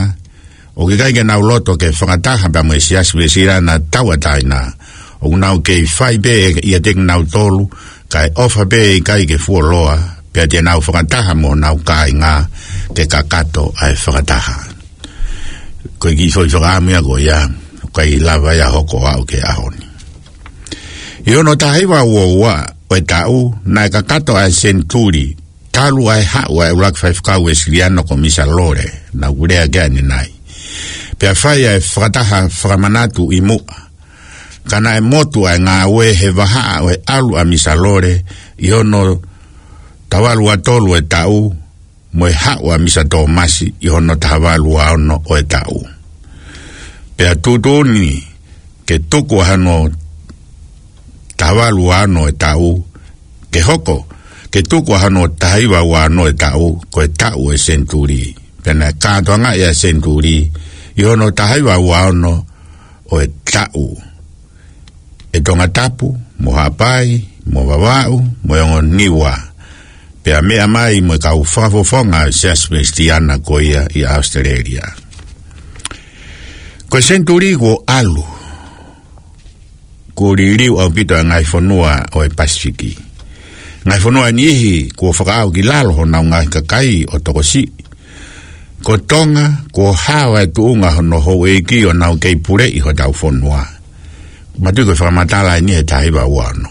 ʻoku ʻikai ke nau loto ke fakataha pea mo e Siasi Uēsiliana Tauʻatāina, ʻoku nau kei fai pē ʻiate kinautolu, kae ʻofa pē ʻikai ke fuoloa, pea te nau fakataha mo honau kāinga ke kakato ʻa e fakataha. Ko e kiʻi foʻi fakaʻamu ia ko ia, ʻoku ʻikai lava ia ʻo hoko ʻo aʻu ki he ʻaho ni. ʻI hono taha hiva ua ua ʻo e taʻu, naʻe kakato ʻa e senituli, talu ʻa e haʻu ʻa e ʻuluaki faifekau Uēsiliana ko Misa Lole, naʻa ku lea ki ai ʻanenai. Pea fai ʻa e fakataha fakamanatu ʻi muʻa. Ka naʻe motu ʻa e ngāue he vahaʻa ʻo e ʻalu ʻa Misa Lole ʻi hono taha valu ua tolu ʻo e taʻu, mo e haʻu ʻa Misa Tōmasi ʻi hono taha valu ua ono ʻo e taʻu. Pea tuʻutuʻuni ke tuku ʻa hono ʻa valu ua ono e taʻu, ke hoko, ke tuku ʻa hono taha hiva ua ono e taʻu, ko e taʻu e senituli. Pea naʻe kātoangaʻi ʻa e senituli ʻi hono taha hiva ua ono ʻo e taʻu ʻe Tongatapu, mo Haʻapai, mo Vavaʻu, mo e ongo Niua. Pea meʻa mai mo e kau fakafofonga ʻo e Siasi Uēsiliana ko ia ʻi ʻAositelēlia. Ko e senituli kuo ʻalu, kuo liliu ʻaupito ʻa e ngaahi fonua ʻo e Pasifiki. Ngaahi fonua ʻe niʻihi kuo fakaʻau ki lalo honau ngaahi kakai ʻo tokosiʻi. Ko Tonga, kuo hao ʻa e tuʻunga hono houʻeiki ʻo nau kei puleʻi hotau fonua. Mātuʻaki ko e fakamatala ʻeni he taha hiva ua ono.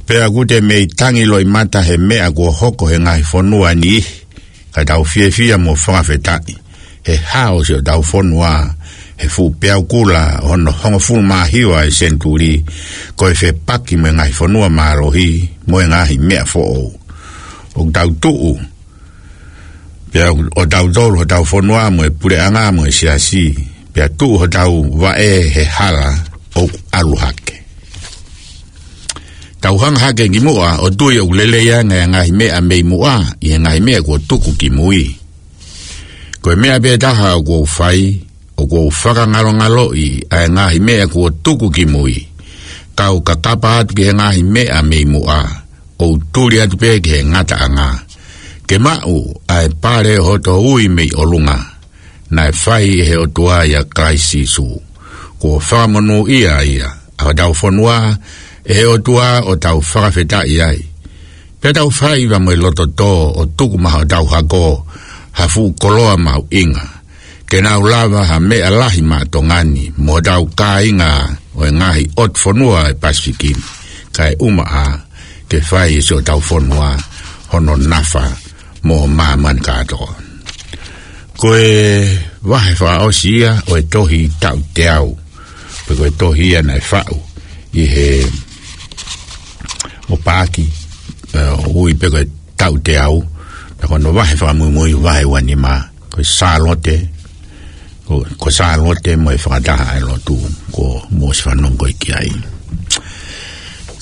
Pea ʻoku te mei tangi loʻimata he meʻa kuo hoko he ngaahi fonua ʻe niʻihi, ka tau fiefia mo fakafetaʻi he hao siʻotau fonua he fuʻu peau kula ʻo hono hongofulu mā hiva e senituli, ko e fepaki mo e ngaahi fonua mālohi mo e ngaahi meʻa foʻou. ʻOku tau tuʻu, pea ʻo tautolu hotau fonua mo e puleʻanga mo e siasi, pea tuʻu hotau vaʻe he hala ʻoku ʻalu hake. Tau hanga hake ki muʻa ʻo tui ʻoku lelei ange ʻa e ngaahi meʻa mei muʻa ʻi he ngaahi meʻa kuo tuku ki mui. Ko e meʻa pē taha ʻoku ou fai, ʻoku ou fakangalongaloʻi ʻa e ngaahi meʻa kuo tuku ki mui. Kau kakapa atu ki he ngaahi meʻa mei muʻa, ʻo u tuli atu pē ki he ngataʻanga. Ke maʻu ʻa e pale ʻo hoto ui mei ʻolunga, naʻe fai ʻe he ʻOtua ʻia Kalaisi Sīsū. Kuo fakamonūʻia ia ʻa hotau fonua ʻe he ʻOtua ʻo tau fakafetaʻi ai. Pea tau fai ʻi he loto tō ʻo tuku maʻa hotau hako ha fuʻu koloa mahuʻinga, ke nau lava ha meʻa lahi maʻa Tonga ni mo hotau kāinga ʻo e ngaahi ʻotu fonua ʻo e Pasifiki ni, kae ʻumaʻā ke fai ʻe siʻotau fonua hono nafa mo māmani kātoa. Ko e vahe fakaʻosi ia ʻo e tohi Taʻu Teau, pe ko e tohi ia naʻe faʻu ʻi he ʻo Paaki, ē, ʻoku ui pē ko e Taʻu Teau, pea ko hono vahe fakamuimui vahe ua nima, ko e Sālote, ko, ko Sālote mo e fakataha ʻa e lotu, ko Mosi Fanongo ko e ki ai.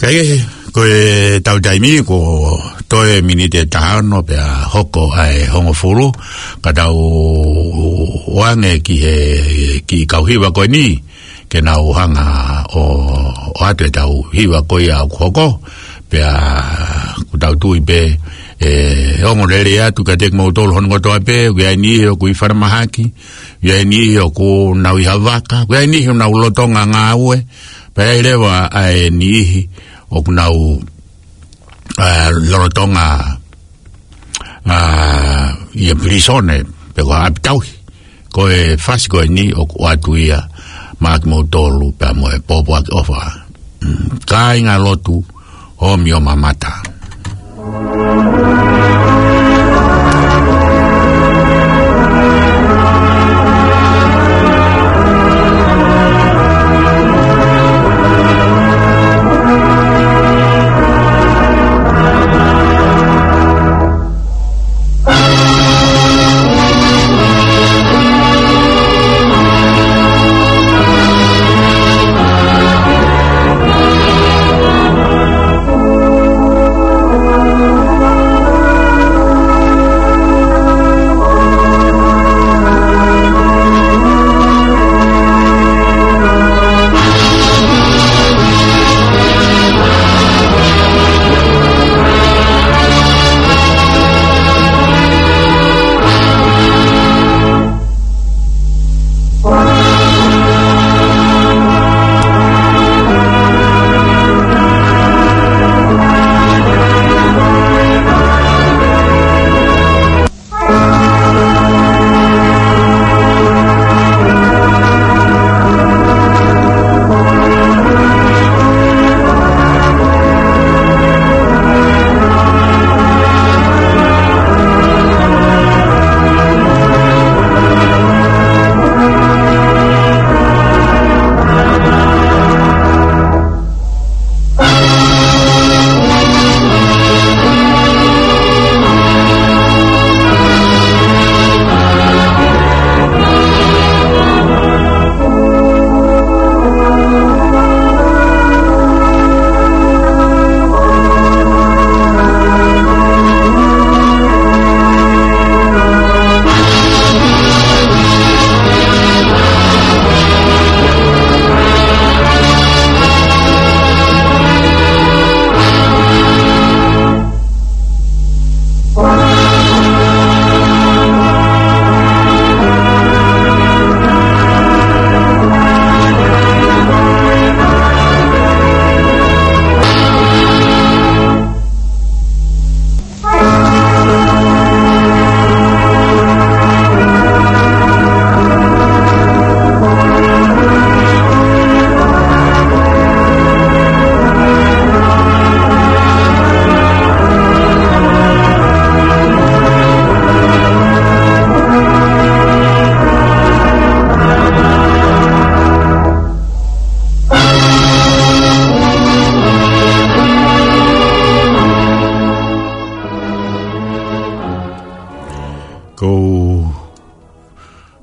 Kae kehe, ko e tau taimi, kuo toe miniti ʻe taha ono pea hoko ʻa e hongofulu, ka tau ʻoange ki he, ki he kau hiva ko eni, ke nau hanga ʻo, ʻoatu ʻetau hiva ko ia ʻoku hoko, pea ʻoku tau tui pē, ʻe ongo lelei atu kiate kimoutolu hono kotoa pē, ʻoku ʻi ai e niʻihi ʻoku ʻi falemahaki, ʻoku ʻi ai e niʻihi ʻoku nau ʻi ha vaka, ʻoku ʻi ai e niʻihi ʻoku nau lolotonga ngāue, pea ʻi ai leva ʻa e niʻihi ʻoku nau, ā, lolotonga, ā, ʻi he pilīsone, pe ko ha ʻapi tauhi. Ko e fasi ko eni ʻoku ʻoatu ia maʻa kimoutolu pea mo e pōpoaki ʻofa. Mm, kāinga lotu, ʻomi ʻo mamata.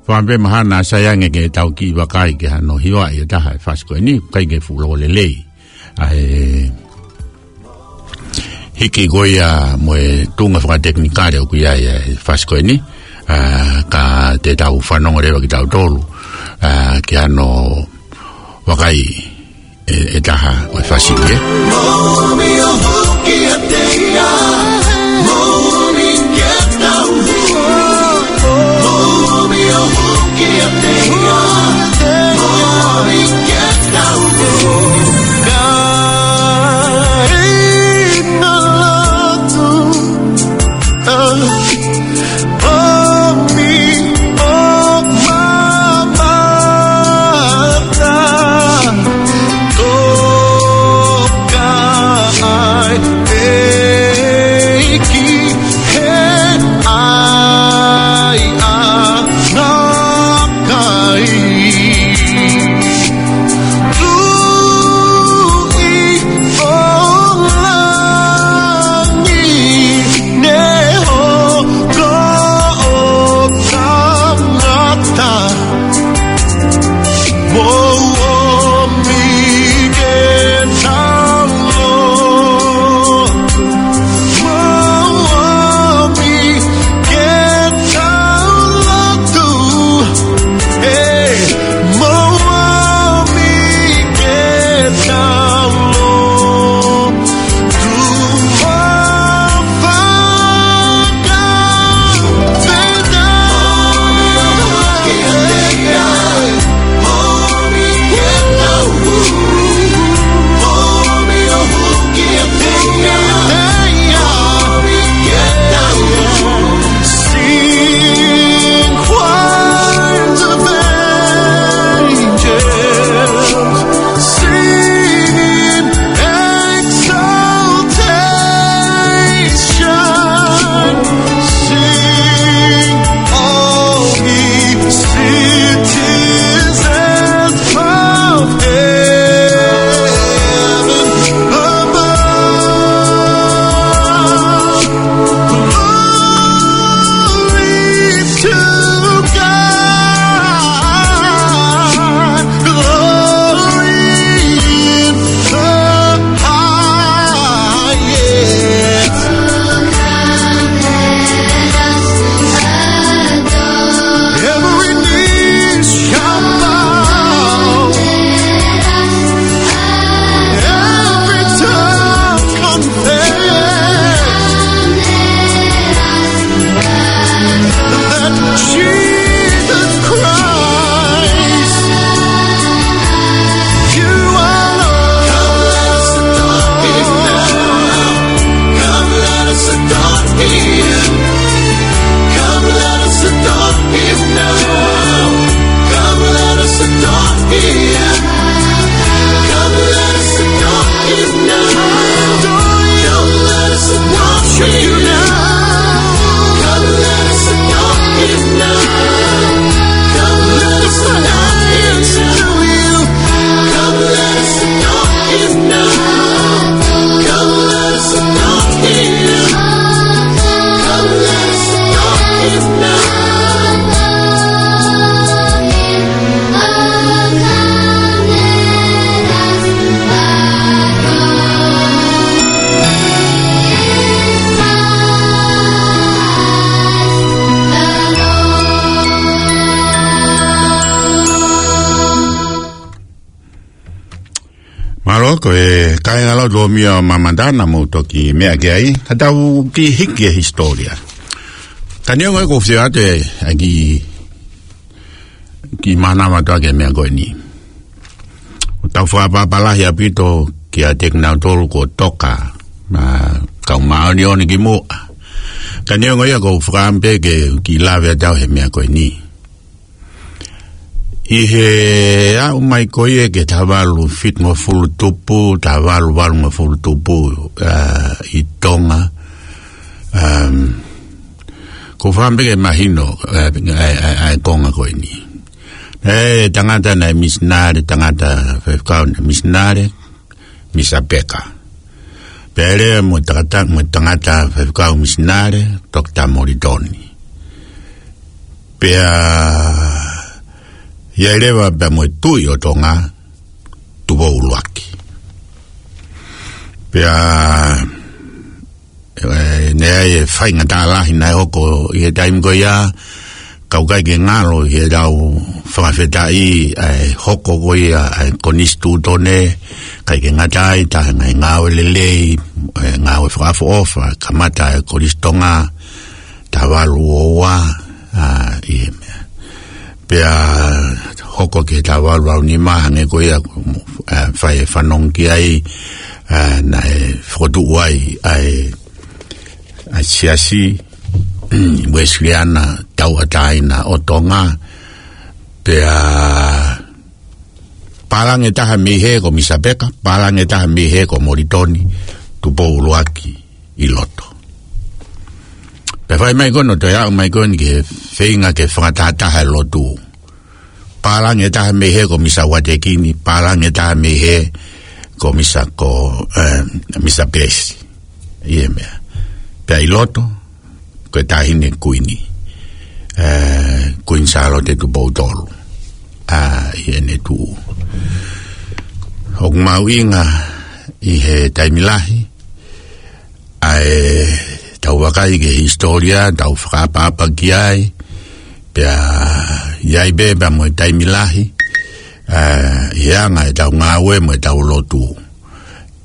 Pea pē mahalo naʻa sai ange ke tau kiʻi vakai ki hano hivaʻi ʻe taha e fasi ko eni, ʻikai ke fuʻu loko lelei ʻa e hiki ko ia mo e tuʻunga fakatekinikale ʻoku ʻi ai e fasi ko eni, ā, ka te tau fanongo leva kitautolu, ā, ki hano vakai ʻe, ʻe taha ʻo e fasi ē. Mālō, ko e kāingalotu ʻo Mio Mamadana mo toki meʻa ki ai. Ka tau kiʻi hiki e hisitōlia. Ka neongo e ko fia ate ai ki, ki manama toa ke meʻa ko eni. ʻOku tau fakapapālangi ʻaupito kiate kinautolu ko Toka, ma kau māʻoniʻoni ki muʻa. Ka neongo ia ko fakapē ke kiʻi lave atu he meʻa ko eni. ʻI he aʻu mai ko ia ki he taha valu fitungofulu tupu, taha valu valungofulu tupu, ā, ʻi Tonga. Um, ʻoku ou fakaʻamu pē ke mahino, ā, ʻa e, ʻa e, ʻa e konga ko eni. ʻE, tangata naʻe misinale, tangata faifekau naʻe misinale, Misa Peka. Pea lea mo e tangata, mo e tangata faifekau misinale, Toketā Molitoni. Pea ʻi ai leva pea mo e Tuʻi ʻo Tonga, Tupou ʻUluaki. Pea, ē, naʻe ʻi ai e faingataʻa lahi naʻe hoko ʻi he taimi ko ia, ka ʻoku ʻikai ke ngalo ʻi heʻetau fakafetaʻi ʻa e hoko ko ia ʻa e Konisitūtone, ʻikai ke ngata ai, taha e ngaahi ngāue lelei, e ngāue fakaʻofoʻofa, kamata e Kolisi Tonga, taha valu ua ua, ā, ʻi he meʻa. Pea hoko ki he taha valu valu nima hangē ko ia, ā, fai e fanongo ki ai, ā, naʻe fokotuʻu ai ʻa e, ʻa e Siasi Uēsiliana Tauʻatāina ʻo Tonga, pea pālangi ʻe taha mei hē ko Misa Peka, pālangi ʻe taha mei hē ko Molitoni Tupou ʻUluaki ʻi loto. Pea fai mai ko eni ʻo toe aʻu mai ko eni ki he feinga ke fakatahataha e lotu. Pālangi ʻe taha mei hē ko Misa Uatekini, pālangi ʻe taha mei hē ko Misa ko, ē, Misa Pesi. ʻI he meʻa. Pea ʻi loto, ko e Taʻahine Kuini, ē, Kuini Sālote Tupou Tolu. Ā, ʻi heʻene tuʻu. ʻOku mahuʻinga ʻi he taimi lahi, ʻa ʻetau vakai ki he hisitōlia, tau fakaʻapaʻapa ki ai, pea ʻi ai pē pea mo e taimi lahi, ā, ʻi he anga ʻetau ngāue mo ʻetau lotu.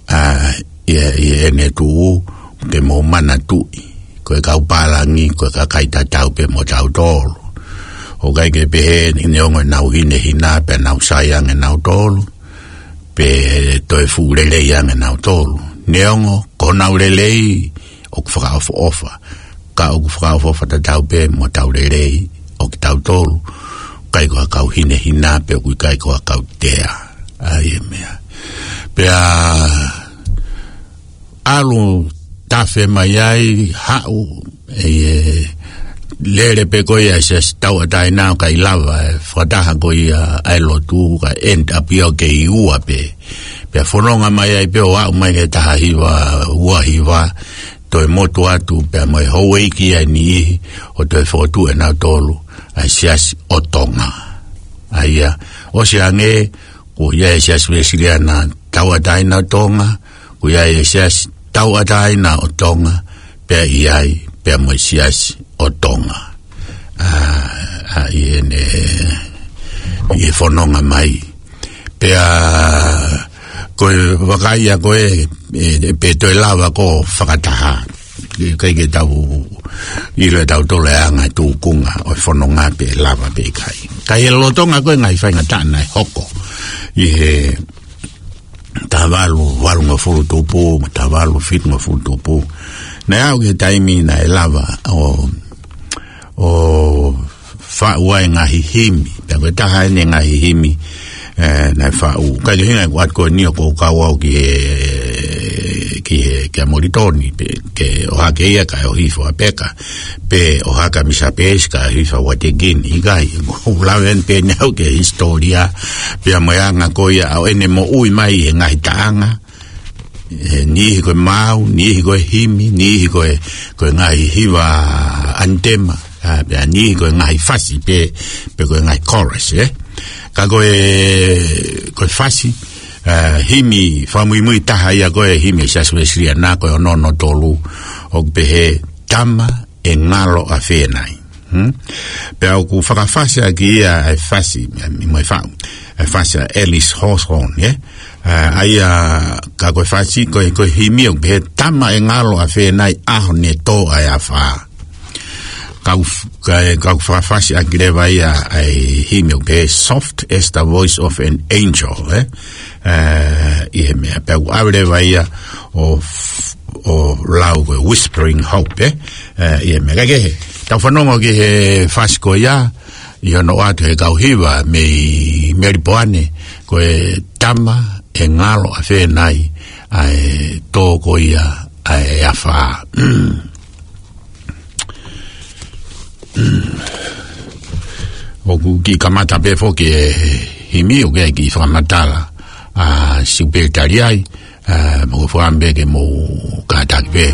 Ā, ʻi he, ʻi heʻene tuʻu, ke mou manatuʻi, ko e kau pālangi, ko e kakai tatau pē mo tautolu. ʻOku ʻikai ke pehē ni neongo ʻenau hinehina pea nau sai ange nautolu, pe toe fuʻu lelei ange nautolu. Neongo, ko honau lelei, ʻoku fakaʻofoʻofa. Ka ʻoku fakaʻofoʻofa tatau pē mo ʻetau lelei ʻo kitautolu. ʻIkai ko ha kau hinehina pe ʻoku ʻikai ko ha kau tea. ʻA ia e meʻa. Pea ʻalu tafe mai ai, haʻu, ʻi he lele pē ko ia e Siasi Tauʻatāina ʻo ʻikai lava e fakataha ko ia ʻa e lotu, ka end up ia ʻo kei ua pē. Pea fononga mai ai pē ʻo aʻu mai ki he taha hiva, ua hiva, toe motu atu pea mo e houʻeiki ʻa e niʻihi ʻo toe fokotuʻu ʻenautolu ʻa e Siasi ʻo Tonga. ʻA ia, ʻosi ange, kuo ʻi ai e Siasi Uēsiliana Tauʻatāina ʻo Tonga, kuo ʻi ai e Siasi Tauʻatāina ʻo Tonga, pea ʻi ai, pea mo e Siasi ʻo Tonga. Ā, ā, ʻi heʻene, ʻi he fononga mai. Pea, ko e vakai ia ko ē, ē, pe toe lava ko e fakataha. ʻIkai ke tau ʻilo ʻe tautolu e anga e tūkunga ʻo e fononga pe lava pe ʻikai. Ka ʻi he lolotonga ko ē ngaahi faingataʻa naʻe hoko ʻi he taha valu valungofulu tupu, mo e taha valu fitungofulu tupu. Naʻe aʻu ki he taimi naʻe lava ʻo, ʻo faʻu ai e ngaahi himi. Pea ko e taha eni e ngaahi himi, ē, naʻe faʻu. ʻIkai ke hinga ʻeku ʻatu ko eni ʻoku ou kau au ki he, ki he, kia Molitoni, pe, ke ʻohake ia kae ʻohifo ʻa Peka, pe ʻohake ʻa Misa Pesi kae ʻohifo ʻa Uatekini. ʻIkai, ʻoku ou lave eni pē eni au ki he hisitōlia, pea mo e anga ko ia ʻo ʻene moʻui mai he ngaahi taʻanga, ē, niʻihi ko e maau, niʻihi ko e himi, niʻihi ko e, ko e ngaahi hiva ʻanitema, ā, pea niʻihi ko e ngaahi fasi pe, pe ko e ngaahi chorus, ē. Ka ko e, ko e fasi, ā, himi fakamuimui taha ia ko e himi ʻa e Siasi Uēsiliana ko e ono ono tolu, ʻoku pehē Tama ʻe ngalo ʻa Fēnai. Hmm? Pea ʻoku fakafasi ʻaki ia e fasi, mo e faʻu, e fasi ʻa Alice Hawthorne, ē? Ā, ʻa ia ka ko e fasi, ko e, ko e himi ʻoku pehē Tama ʻe ngalo ʻa Fēnai ʻaho ne tō ai ʻa e afā. Ka ʻoku f-, ka, ka ʻoku fakafasi ʻaki leva ia ʻa e himi ʻoku pehē Soft as the voice of an angel, ē? Ā, ʻi he meʻa, pea ʻoku ʻave leva ia ʻo f-, ʻo lau ko e Whispering Hope, ē? Ā, ʻi he meʻa. Kae kehe, tau fanongo ki he fasi ko ia, ʻi hono ʻoatu ʻe he kau hiva mei Melipoane, ko e Tama ʻe ngalo ʻa Fēnai, ʻa e tō ko ia ʻa e afā. ʻOku kiʻi kamata pē foki e himi, ʻoku ʻikai ke kiʻi fakamatala ʻa Siupeli Taliai, ā, mo fakaʻamu pē ke mou kātaki pē.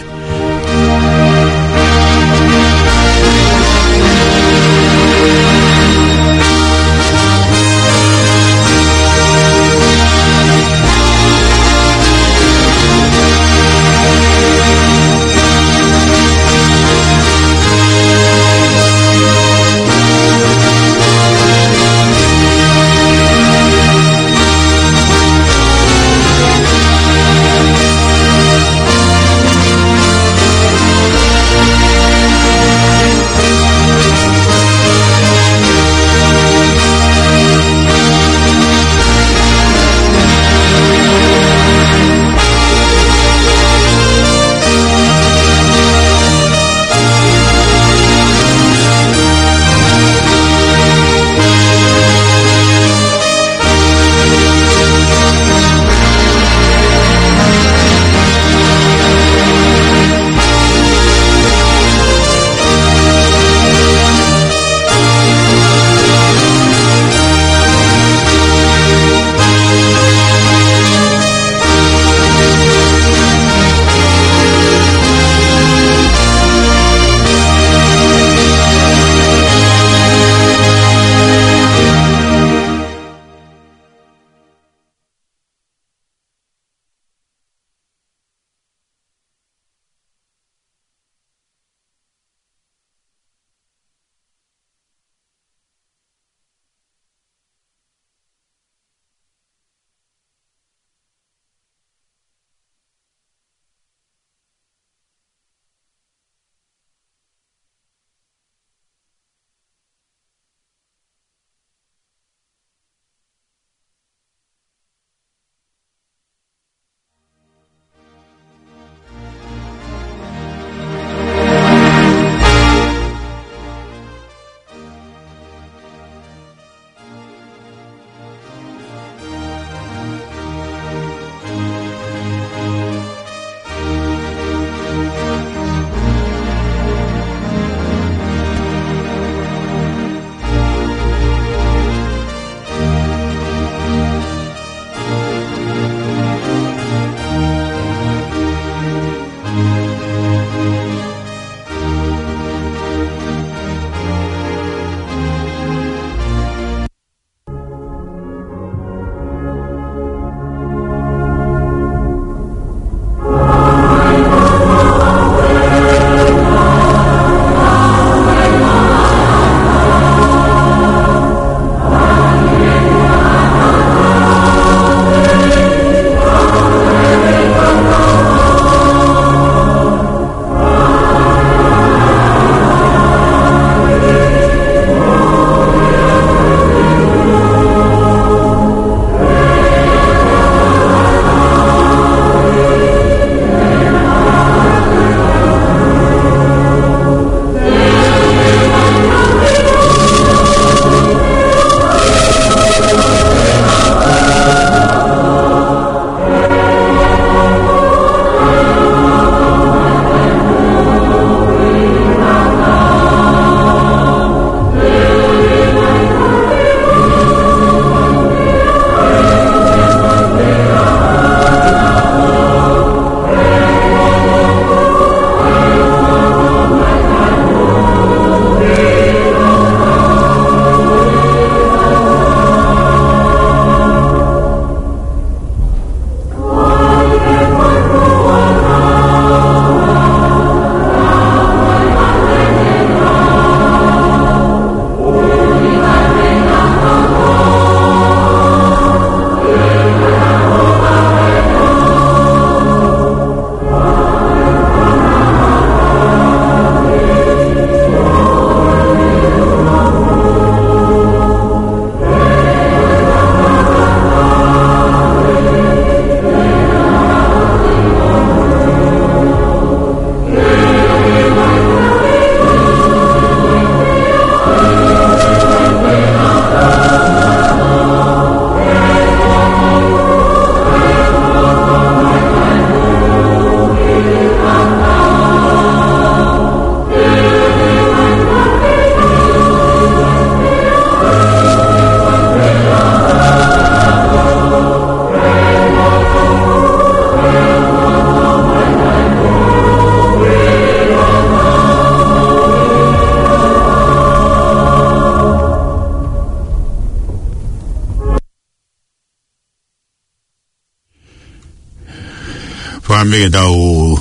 Ame ke tau,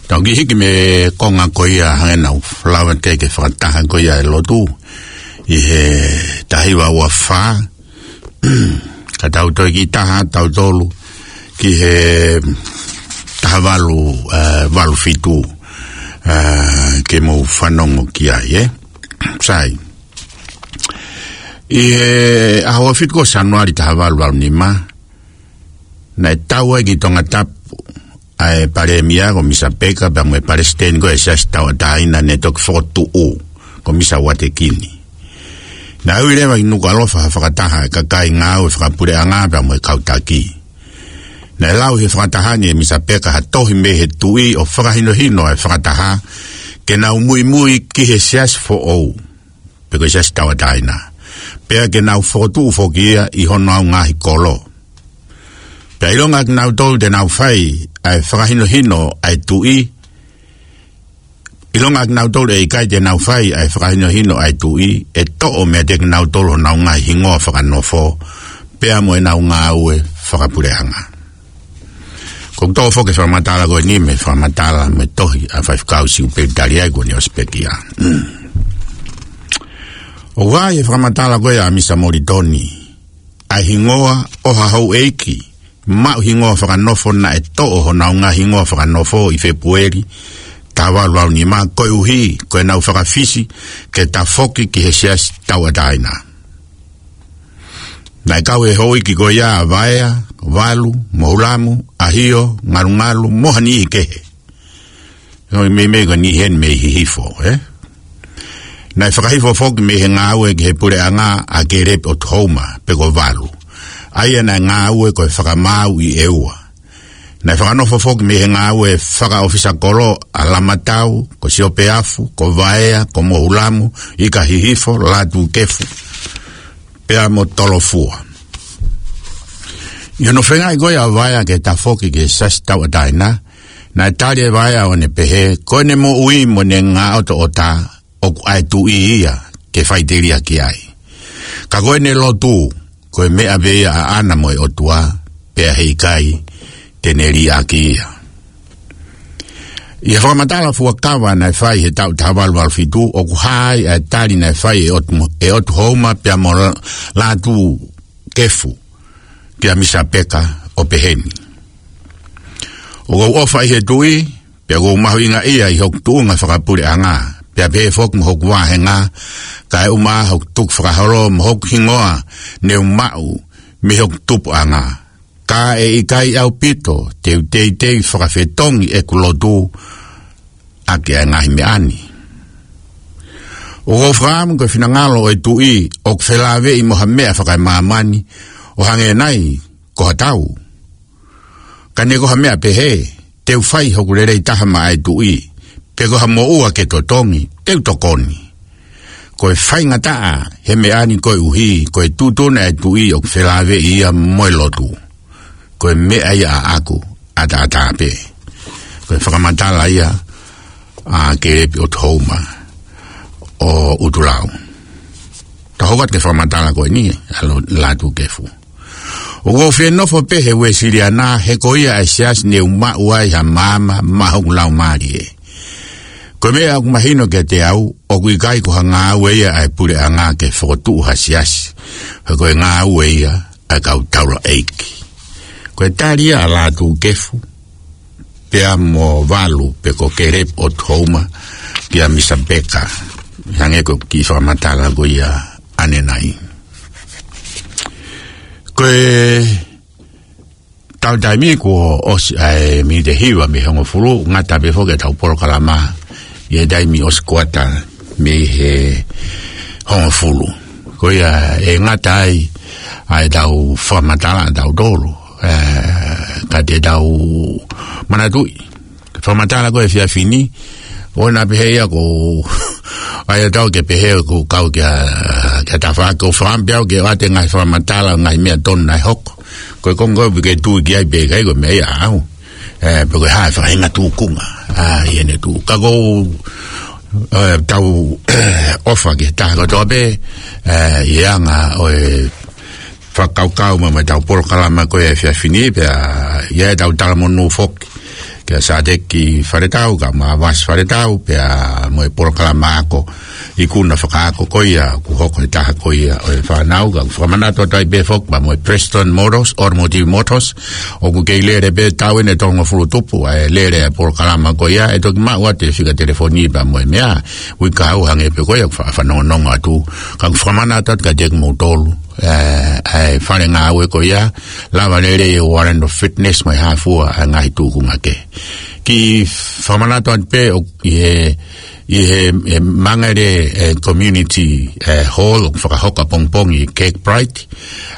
tau kiʻi hiki mei he konga ko ia hangē naʻa ku lau atu ki he fakataha ko ia e lotu ʻi he taha hiva ua fā. Ka tau toe kiʻi taha, tau tolu ki he taha valu, eh, valu fitu, eh, ke mou fanongo ki ai, ē. Sai. ʻI he ʻaho ua fitu ko Sānuali taha valu valu nima, naʻe tau ai ki Tongatapu ʻa e Palēmia ko Misa Peka pea mo e Palesiteni ko e Siasi Tauʻatāina ne toki fokotuʻu ko Misa Uatekini. Naʻe ui leva ʻi Nukuʻalofa ha fakataha ʻa e kakai ngāue fakapuleʻanga pea mo e kau taki. Naʻe lau ʻi he fakataha ni ʻe Misa Peka ha tohi mei he Tuʻi ʻo fakahinohino ʻa e fakataha ke nau muimui ki he siasi foʻou, pe ko e Siasi Tauʻatāina, pea ke nau fokotuʻu foki ia ʻi honau ngaahi kolo. Pea ʻilonga kinautolu te nau fai ʻa e fakahinohino ʻa e Tuʻi, ʻilonga kinautolu ʻe ʻikai te nau fai ʻa e fakahinohino ʻa e Tuʻi, ʻe toʻo meiate kinautolu honau ngaahi hingoa fakanofo pea mo ʻenau ngāue fakapuleʻanga. ʻOku ou toʻo foki e fakamatala ko eni mei he fakamatala mei he tohi ʻa Faifekau Siupeli Taliai kuo ne ʻosi pekia. ʻOku ʻi he fakamatala ko ia ʻa Misa Molitoni ʻa e hingoa ʻo ha houʻeiki maʻu hingoa fakanofo naʻe toʻo honau ngaahi hingoa fakanofo ʻi Fēpueli taha valu valu nima koeʻuhi ko ʻenau fakafisi ke tafoki ki he Siasi Tauʻatāina. Naʻe kau he houʻeiki ko ia ʻa Vaea, Valu, Mohulamu, ʻAhio, Ngalungalu mo ha niʻihi kehe. Ko e meimei ko e niʻihi eni mei Hihifo, ē? Naʻe fakahifo foki mei he ngāue ki he puleʻanga ʻa Kelepi ʻOtuhouma, pe ko Valu, ʻa ia naʻe ngāue ko e fakamaau ʻi ʻEua. Naʻe fakanofo foki mei he ngāue fakaʻofisa kolo ʻa Lamatau, ko Siopeafu, ko Vaea, ko Mohulamu, ʻIkahihifo, Lātūkefu pea mo Tolofua. ʻI hono feingaʻi ko ia ʻa Vaea ke tafoki ki he Siasi Tauʻatāina, naʻe tali ʻe Vaea ʻo ne pehē ko ʻene moʻui mo ʻene ngaʻotoʻota ʻoku ʻa e Tuʻi ia ke faʻiteliaki ai. Ka ko ʻene lotu, ko e meʻa pē ia ʻaʻana mo e ʻOtua, pea heʻikai te ne liʻaki ia. ʻI he fakamatala fuakava naʻe fai he taʻu taha valu valu fitu, ʻoku hā ai ʻa e tali naʻe fai ʻe ʻOtu, ʻe ʻOtuhouma pea mo La-, Lātūkefu kia Misa Peka ʻo peheni: ʻOku ou ʻofa ʻi he Tuʻi, pea ʻoku ou mahuʻingaʻia ʻi hoku tuʻunga fakapuleʻanga, pea pehē foki mo hoku vāhenga, kae ʻumaʻā hoku tukufakaholo mo hoku hingoa ne u maʻu mei hoku tupuʻanga. Ka ʻe ʻikai ʻaupito te u teitei fakafetongi ʻeku lotu ʻaki ʻa e ngaahi meʻa ni. ʻOku ou fakaʻamu ko e finangalo ʻo e Tuʻi ʻoku felāveʻi mo ha meʻa fakamāmani ʻo hangē nai ko ha tau. Ka neʻe ko ha meʻa pehē, te u fai hoku lelei taha maʻa e Tuʻi, pe ko ha moʻua ke totongi, te u tokoni. Ko e faingataʻa he meʻa ni koeʻuhi ko e tuʻutuʻuni ʻa e Tuʻi ʻoku felāveʻi ia mo e lotu. Ko e meʻa ia ʻaʻaku ʻataʻatā pē. Ko e fakamatala ia ʻa Kelepi ʻOtuhouma ʻo ʻUtulau. Tau hoko atu ki he fakamatala ko eni ʻa Lo-, Lātūkefu: ʻOku ou fie nofo pē he Uēsiliana, he ko ia ʻa e siasi ne u maʻu ai ha maama maʻa hoku laumālie. Ko e meʻa ʻoku mahino kiate au, ʻoku ʻikai ko ha ngāue ia ʻa e puleʻanga ke fokotuʻu ha siasi. He ko e ngāue ia ʻa e kau taulaʻeiki. Ko e tali ia ʻa Lātūkefu pea mo Valu pe ko Kelepi ʻOtuhouma kia Misa Peka, hangē ko e kiʻi fakamatala ko ia ʻanenai. Ko e tau taimi kuo ʻosi ʻa e miniti ʻe hiva mei he hongofulu, ngata pē foki ʻetau polokalama ʻi he taimi ʻosi kuata mei he hongofulu. Ko ia ʻe ngata ai ʻa ʻetau fakamatala ʻatautolu, ē, ka te tau manatuʻi fakamatala ko e efiafi ni, ʻoua naʻa pehē ia ko, ʻa ia tau ke pehē ko kau kia, kia tafa ko fakaʻamu pē au ke ʻoatu e ngaahi fakamatala, ngaahi meʻa tonu naʻe hoko. Ko e konga ko ē ʻoku ke tui ki ai pe ʻikai, ko e meʻa ia ʻaʻau. Ē, pe ko e hā e faʻahinga tūkunga ʻa ʻene tuʻu. Ka ʻoku ou, ē, tau ʻofa ki he taha kotoa pē, ē, ʻi he anga ʻo e fakakaukau mo ʻetau polokalama ko e efiafi ni, pea ʻi ai ʻetau talamonū foki Kia Sateki Faletau, kau Mavasi Faletau, pea mo e polokalama ako, ikuna fakaako ko ia, ʻoku hoko he taha ko ia ʻo e fānau, kau fakamanatu atu ai pē foki pea mo e Preston Motors, Automotive Motors, ʻoku kei lele pē, taʻu eni ʻe tolungofulu tupu ʻa e lele ʻa e polokalama ko ia, ʻe toki maʻu atu e fika telefoni pea mo e meʻa, uike kahaʻu hangē pē ko ia ʻoku fa-, fanongonongo atu, kau fakamanatu atu kiate kimoutolu, ē, ʻa e fale ngāue ko ia, Lava Lelei Orlando Fitness mo e hā fua ʻa e ngaahi tūkunga kehe. Kiʻi fakamanatu atu pē ʻoku ʻi he, ʻi he, ʻe Mangere, ē, Community, ē, Hall ʻoku fakahoko ʻapongipongi ʻa e Cake Pride,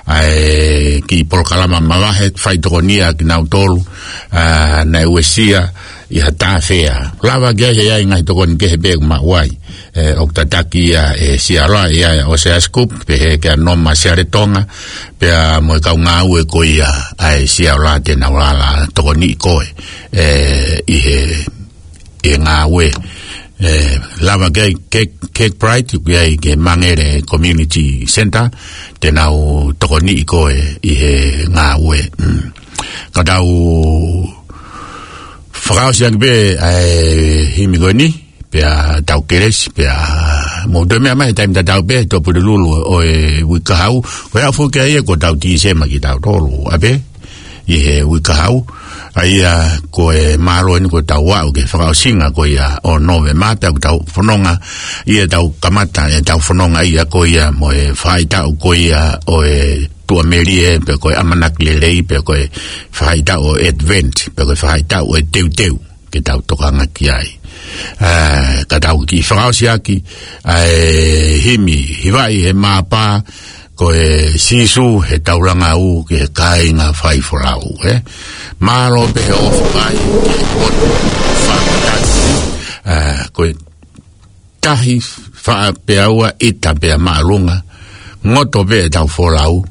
ʻa e kiʻi polokalama mavahe, fai tokonia kinautolu, ā, naʻe uesia ʻi ha tāfea. Lava ke ʻi ai e ngaahi tokoni kehe pē ʻoku maʻu ai. Ē, ʻoku tataki ia ʻe Siaola, ʻi ai ʻa ʻOsea Scoop, pehē kia Noma Sialetonga, pea mo e kau ngāue ko ia ʻa e Siaola te nau lava tokoniʻi koe, ē, ʻi he, ʻi he ngāue. Ē, lava ke ʻi ai e Cake, Cake Pride, ʻoku ʻi ai ki he Mangere Community Centre, te nau tokoniʻi koe ʻi he ngāue. Mm. Ka tau fakaʻosi ange pē ʻa e himi ko eni, pea tau kelesi, pea mou toe meʻa mai he taimi tatau pē, Tuʻapulelulu ʻo e uike kahaʻu, ko e aʻu foki ia ko ʻetau Tīsema kitautolu, ʻa pē, ʻi he uike kahaʻu, ʻa ia ko e mālō eni kuo tau aʻu ki he fakaʻosinga ko ia ʻo Nōvema, pea kuo tau fononga, ʻi heʻetau kamata ʻetau fononga ia ko ia mo e faʻahitaʻu ko ia ʻo e Tuʻamelie, pe ko e ʻAmanaki Lelei, pe ko e faʻahitaʻu ʻo e Advent, pe ko e faʻahitaʻu ʻo e Teuteu, ke tau tokanga ki ai. Ā, ka tau kiʻi fakaʻosi ʻaki ʻa e himi, hivaʻi ʻe Māpā, ko e Sīsū he Taulanga ʻUu ki he Kāinga Faifolau, ē? Mālō pē he ʻofaʻi, he poto, fakatatau, ā, ko e tahi faʻa pea ua ʻita pea māʻolunga, ngoto pē ʻetau folau,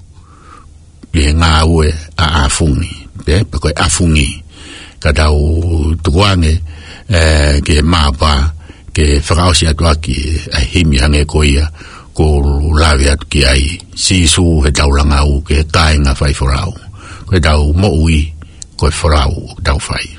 ʻi he ngāue ʻa ʻAfungi, pē, pe ko e ʻAfungi. Ka tau tukuange, ē, ki he Māpā, ke fakaʻosi atu ʻaki ʻa e himi hangē ko ia, kuo u lave atu ki ai, Sīsū he Taulanga ʻUu ki he Kāinga Faifolau. Ko ʻetau moʻui, ko e folau ʻoku tau fai.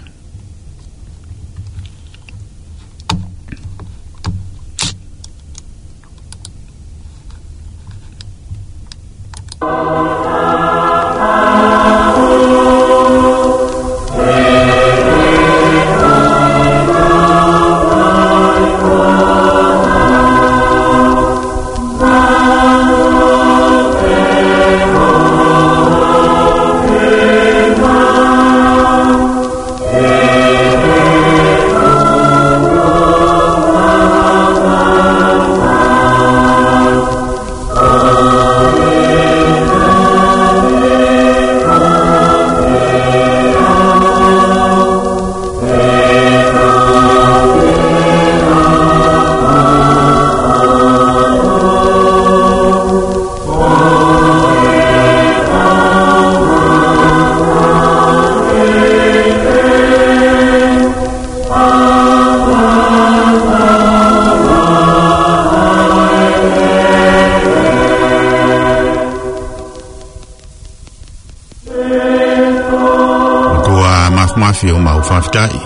ʻOtua Māfimafi, ʻoku mau fakafetaʻi.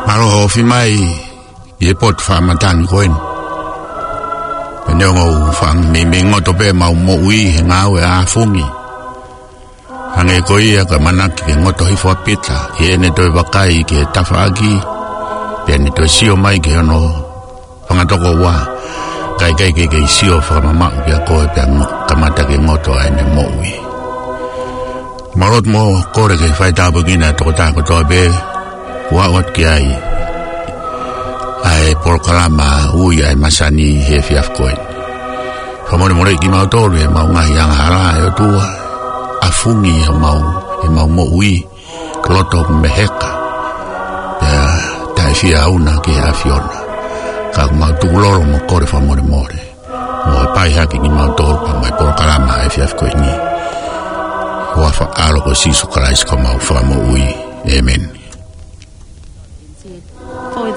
Mālō hoʻo ofi mai ʻi he potu faʻa matangi ko eni. Pea neongo ʻoku faʻa meimei ngoto pē ʻemau moʻui he ngāue ʻa ʻAfungi, hangē ko ia ko e ʻamanaki ke ngoto hifo ʻa Pita, ʻi heʻene toe vakai ki he tafaʻaki, pea ne toe sio mai ki hono fanga tokoua, ka ʻikai ke kei sio fakamamaʻu kia koe pea ngo-, kamata ke ngoto ʻa ʻene moʻui. Mau lotu mo kole ke fai tāpuekina ʻa e tokotaha kotoa pē kuo aʻu atu ki ai ʻa e polokalama Ui ʻa e Masani he efiafi ko eni. Fakamolemoleʻi kimautolu ʻi heʻemau ngaahi angahala, ʻe ʻOtua, ʻAfungi ʻemau, ʻemau moʻui, loto ʻoku meheka, pea taʻe fie ʻauna ki he ʻAfiona. Ka ʻoku mau tukulolo mo kole fakamolemole, mo hapai hake kimautolu pea mo e polokalama he efiafi ko eni. Huafa ʻAlo ko Sīsū Kalaisi ko homau Fakamoʻui. ʻĒmeni.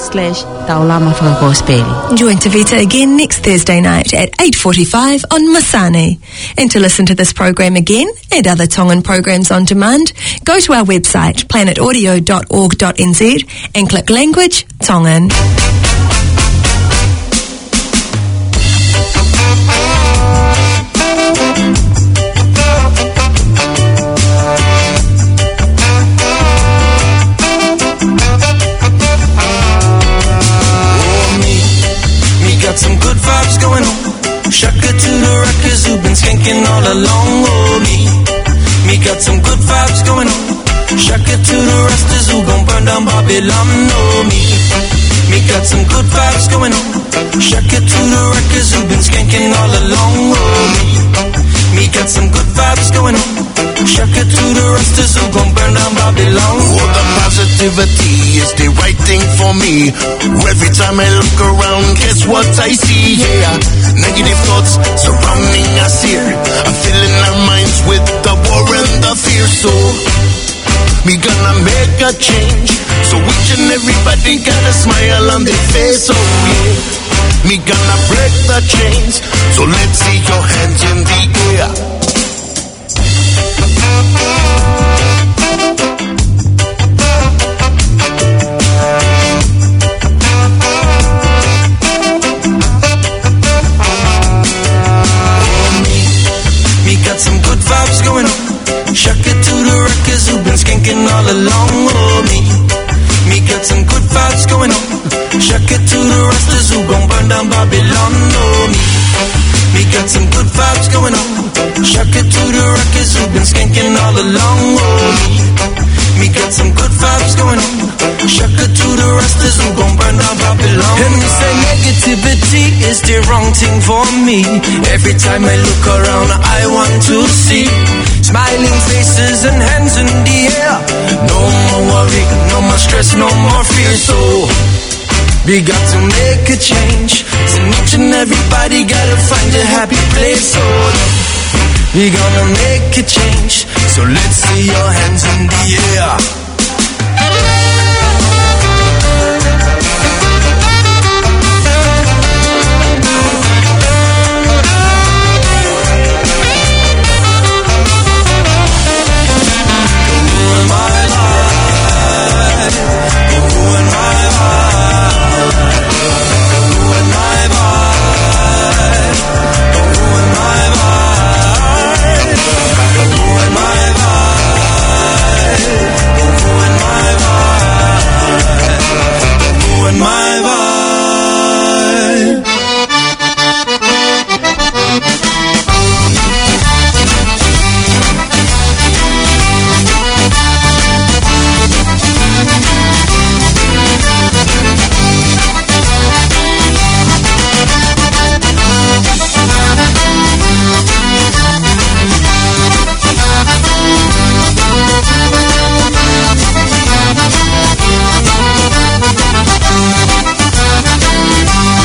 slash Taulama Fakakosipeli. Join Tavita again next Thursday night at eight forty-five on Masani. And to listen to this program again and other Tongan programs on demand, go to our website, planet audio dot org dot N Z, and click Language Tongan. Oh, me, me got some good vibes going on. Shaka to the rockers who've been skanking all along. Oh, me, me got some good vibes going on. Shaka to the Rastas who gon' burn down Babylon. Oh, me, me got some good vibes going on. Shaka to the rockers who've been skanking all along. Oh, me, me got some good vibes going on. Shaka to the Rastas who gon' burn down Babylon. Oh, the positivity is the right thing for me. Every time I look around, guess what I see? Yeah, negative thoughts surrounding us here. I'm filling our minds with the war and the fear. So me gonna make a change. So each and everybody got a smile on their face. Oh, yeah. Me gonna break the chains. So let's see your hands in the air. Me got some good vibes going on. Shaka to the rockers who've been skanking all along. Oh, me, me got some good vibes going on. Shaka to the Rastas who gon' burn down Babylon. Oh, me, me got some good vibes going on. Shaka to the rockers who've been skanking all along. Oh, me, me got some good vibes going on. Shaka to the Rastas who gon' burn down Babylon. And they say negativity is the wrong thing for me. Every time I look around, I want to see smiling faces and hands in the air. No more worry, no more stress, no more fear. So we got to make a change. So each and everybody gotta find a happy place. So we gonna make a change. So let's see your hands in the air.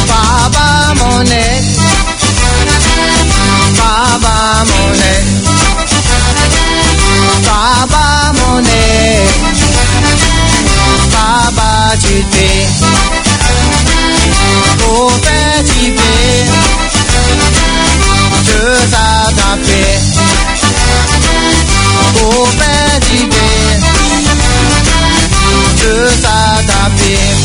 Papa Mone, Papa Mone, Papa Mone, Papa Tite, Kope Tipe, Tata Tape, Kope Tipe, Tata Tape.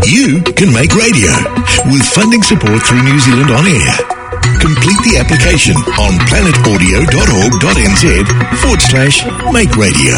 You can make radio with funding support through New Zealand On Air. Complete the application on planet audio dot org dot N Z forward slash make radio.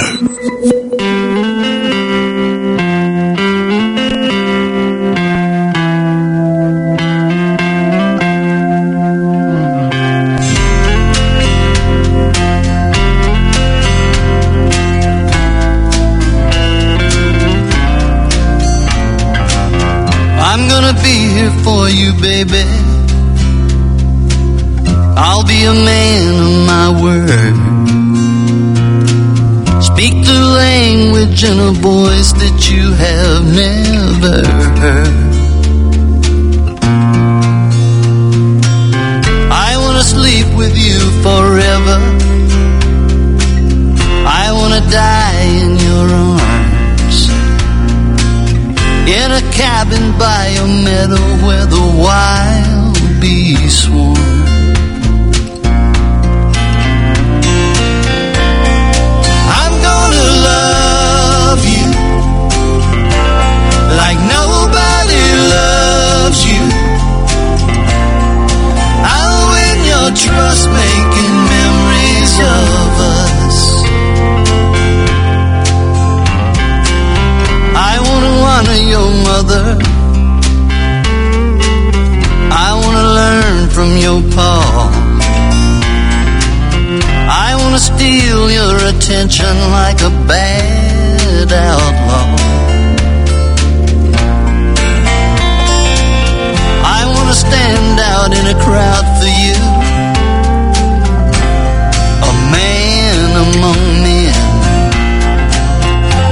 I'm gonna be here for you, baby. I'll be a man of my word. Speak the language in a voice that you have never heard. I wanna sleep with you forever. I wanna die in your arms. In a cabin by a meadow where the wild bees swarm. I'm gonna love you like nobody loves you. I'll win your trust, making memories of us. I wanna honor your mother. I wanna learn from your pa. I wanna steal your attention like a bad outlaw. I wanna stand out in a crowd for you, a man among men.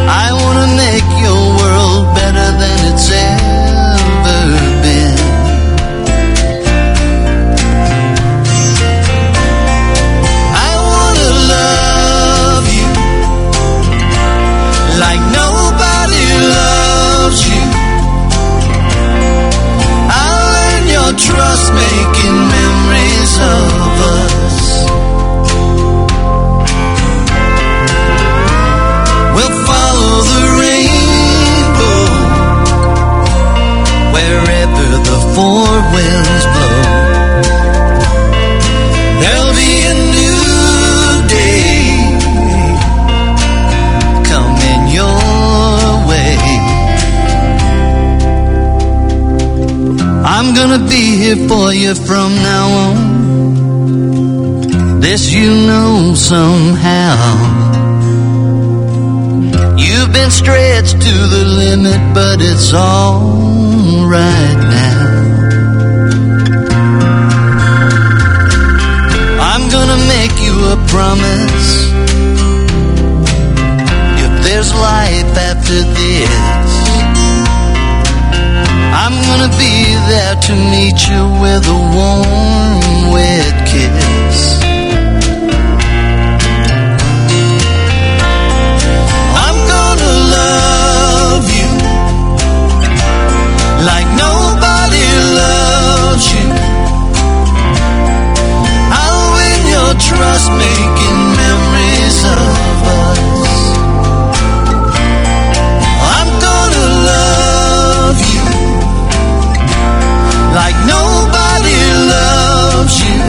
I wanna make your world better than it's ever been. I wanna love you like nobody loves you. I'll earn your trust, making memories of us. We'll follow the rainbow wherever the four winds blow. There'll be a new day coming your way. I'm gonna be here for you from now on. This you know somehow. You've been stretched to the limit, but it's all right now. I'm gonna make you a promise. If there's life after this, I'm gonna be there to meet you with a warm, wet kiss. I'm gonna love you like nobody loves you. I'll win your trust, making memories of us. I'm gonna love you like nobody loves you.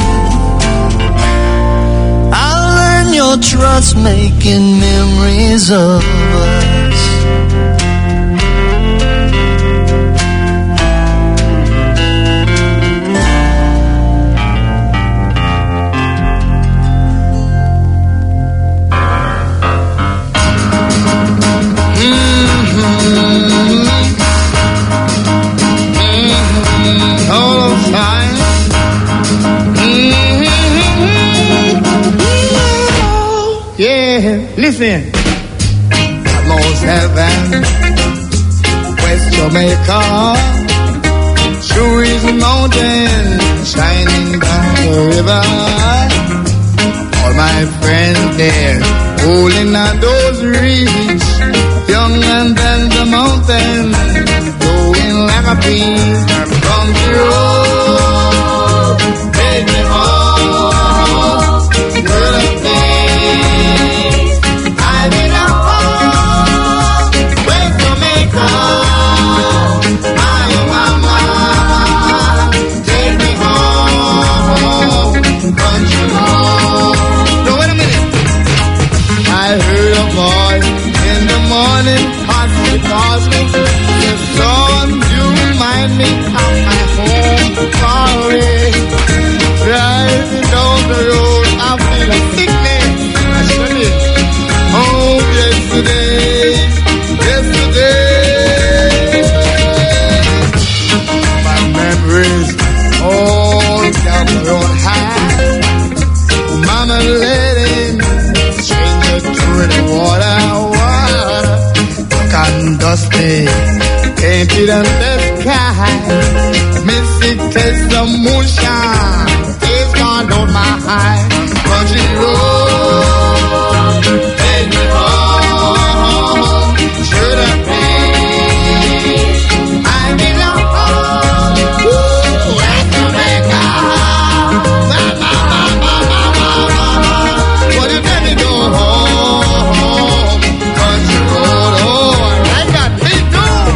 It's making memories of us. Mm-hmm. Mm-hmm. All the time. Mm-hmm. Yeah, listen. Most heaven, West Jamaica, Swiss mountain, shining down the river. All my friends there, holding on those reeds, young and then the mountain, going like a bee. Country road, take me home to the place I belong. West Jamaica, my mama, take me home, country road. No, wait a minute. I heard a voice in the morning, passing, passing. The song you remind me of my home far away. Driving down the road, I feel a sickness. I shouldn't. Oh, yesterday, yesterday. My memories all down the road high. Mama letting stranger through the water, water. Dark and dusty, can't see the sky. Missing taste of moonshine, taste gone on my high. Country road, take me home to the place I belong. Ooh, West Jamaica. Won't you let me go home? Country road, oh, I like that beat, dude.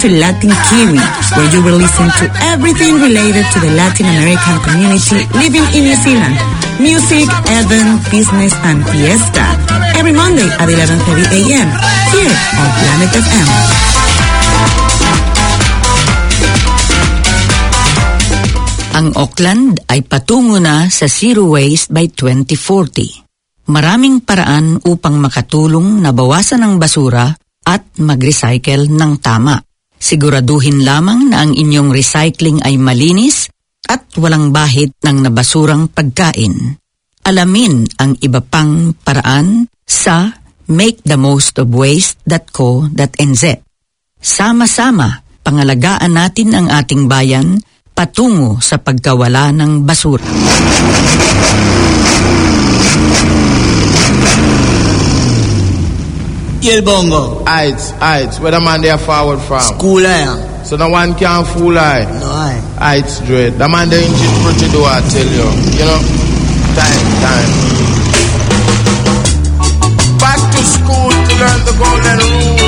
to Latin Kiwi, where you will listen to everything related to the Latin American community living in New Zealand. Music, event, business, and fiesta. Every Monday at eleven thirty a.m. here on Planet F M. Ang Auckland ay patungo na sa zero waste by twenty forty. Maraming paraan upang makatulong na bawasan ang basura at mag-recycle ng tama. Siguraduhin lamang na ang inyong recycling ay malinis at walang bahid ng nabasurang pagkain. Alamin ang iba pang paraan sa make the most of waste dot co dot n z. Sama-sama, pangalagaan natin ang ating bayan patungo sa pagkawala ng basura. Y el bongo. Heights, heights. Where the man there forward from? School, eh? So no one can fool I. No, I. Heights, dread. The man there in Jim pretty do, I tell you. You know? Time, time. Back to school to learn the golden rule.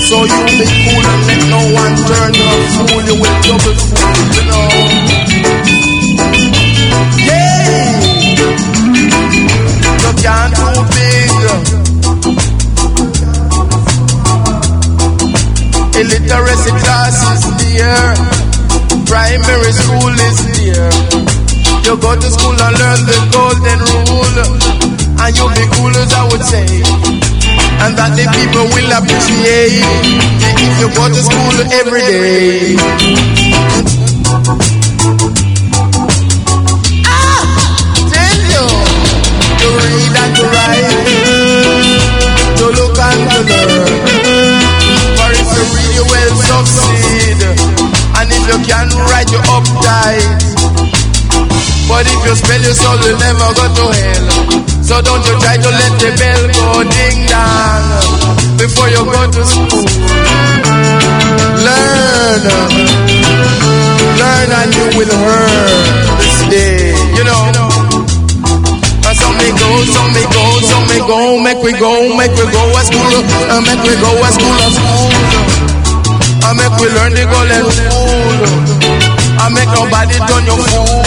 So you be cool and let no one turn you a fool. You will double fool, you know. Yeah. You can't too big. Illiteracy class is near. Primary school is near. You go to school and learn the golden rule. And you'll be cool as I would say. And that the people will appreciate if you go to school every day. Ah, tell you, to read and to write, to look and to learn. For if you read, you will succeed. And if you can write, you uptight. But if you spell, your soul will never go to hell. So don't you try to let the bell go ding dong before you go to school. Learn, learn and you will earn this day, you know. And so me go, so me go, so me go, make we go, make we go a school, uh, make we go a school, a school. And make we learn the golden rule. And make nobody turn you fool.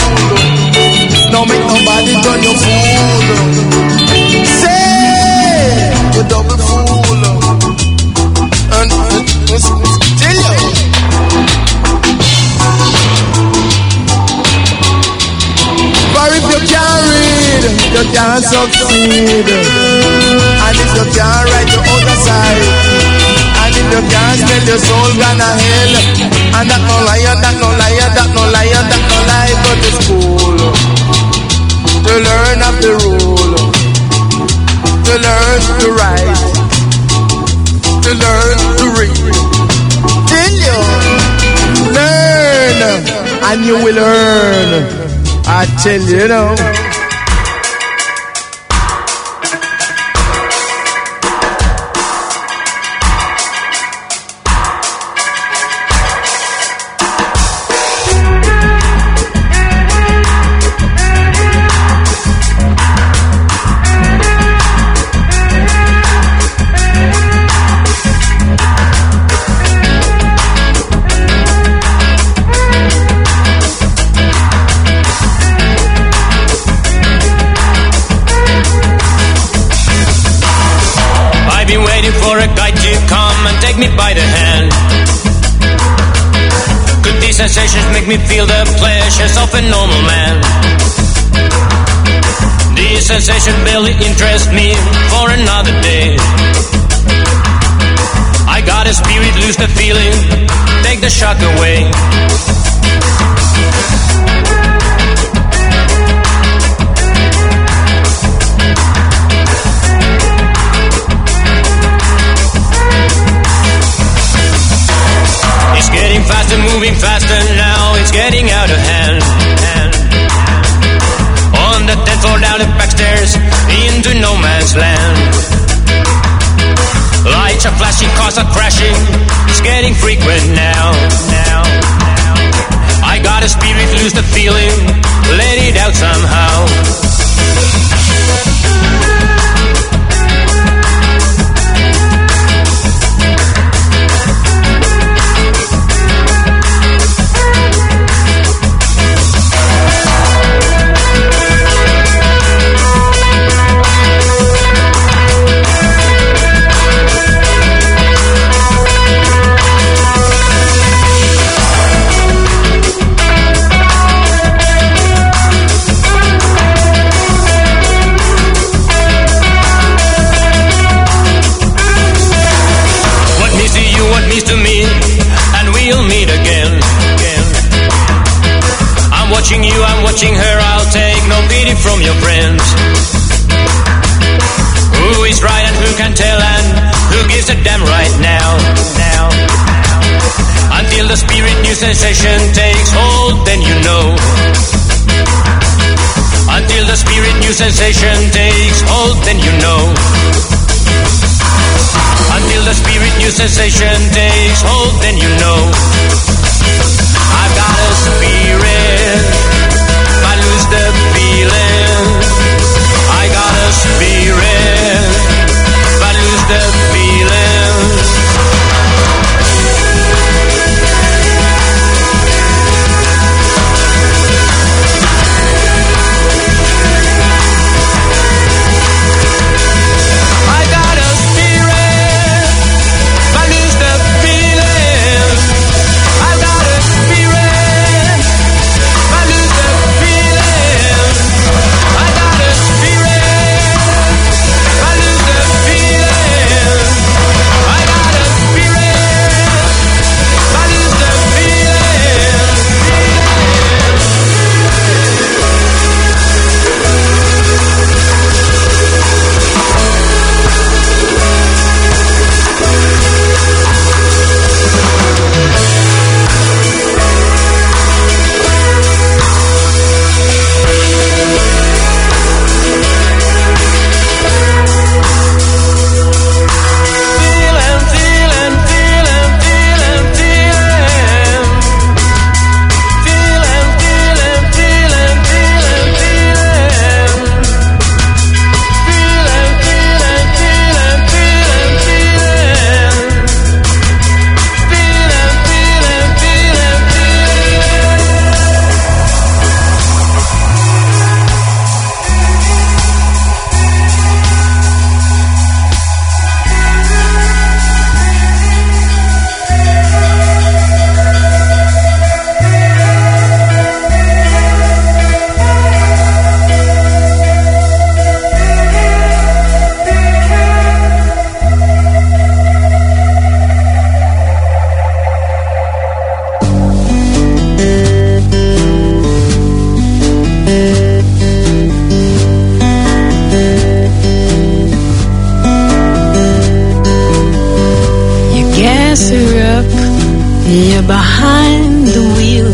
No make nobody turn you fool. Say you double fool. And, uh, uh, tell you. For if you can't read, you can't succeed. And if you can't write, you out of sight. And if you can't spell, your soul gonna hell. And that no lie, and that no lie, and that no lie, and that no lie. Go to school to learn of the rule, to learn to write, to learn to read. Till you learn and you will earn. I tell you, you know. I've been waiting for a guide to come and take me by the hand. Could these sensations make me feel the pleasures of a normal man? This sensation barely interests me for another day. I got a spirit, lose the feeling, take the shock away. It's getting faster, moving faster now, it's getting out of hand. On the tenth floor, down the back stairs, into no man's land. Lights are flashing, cars are crashing, it's getting frequent now. Now, now. I got a spirit, lose the feeling, let it out somehow. Her, I'll take no pity from your friends. Who is right and who can tell and who gives a damn right now? Now, now. Until the spirit new sensation takes hold, then you know. Until the spirit new sensation takes hold, then you know. Until the spirit new sensation takes hold, then you know. I've got a spirit, but lose the feeling. I got a spirit, but lose the feeling. I got a spirit, but lose the feeling. I got a spirit, but lose the feeling. I got a spirit, but lose the feeling. I got a spirit, but lose the feeling. You gas her up, you're behind the wheel.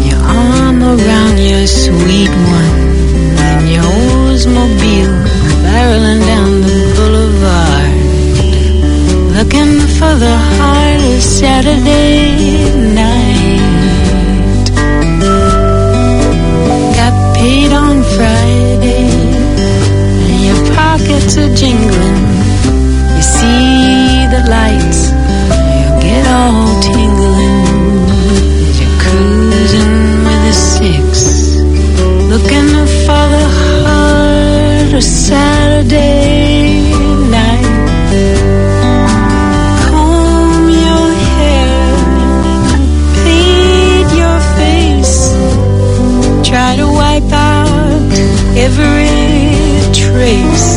Your arm around your sweet one in your Oldsmobile, barreling down the boulevard, looking for the heart of Saturday night. Got paid on Friday, and your pockets are jingling. You see the lights, you get all tingling as you're cruising with a six, looking for the heart of Saturday night. Comb your hair, paint your face, try to wipe out every trace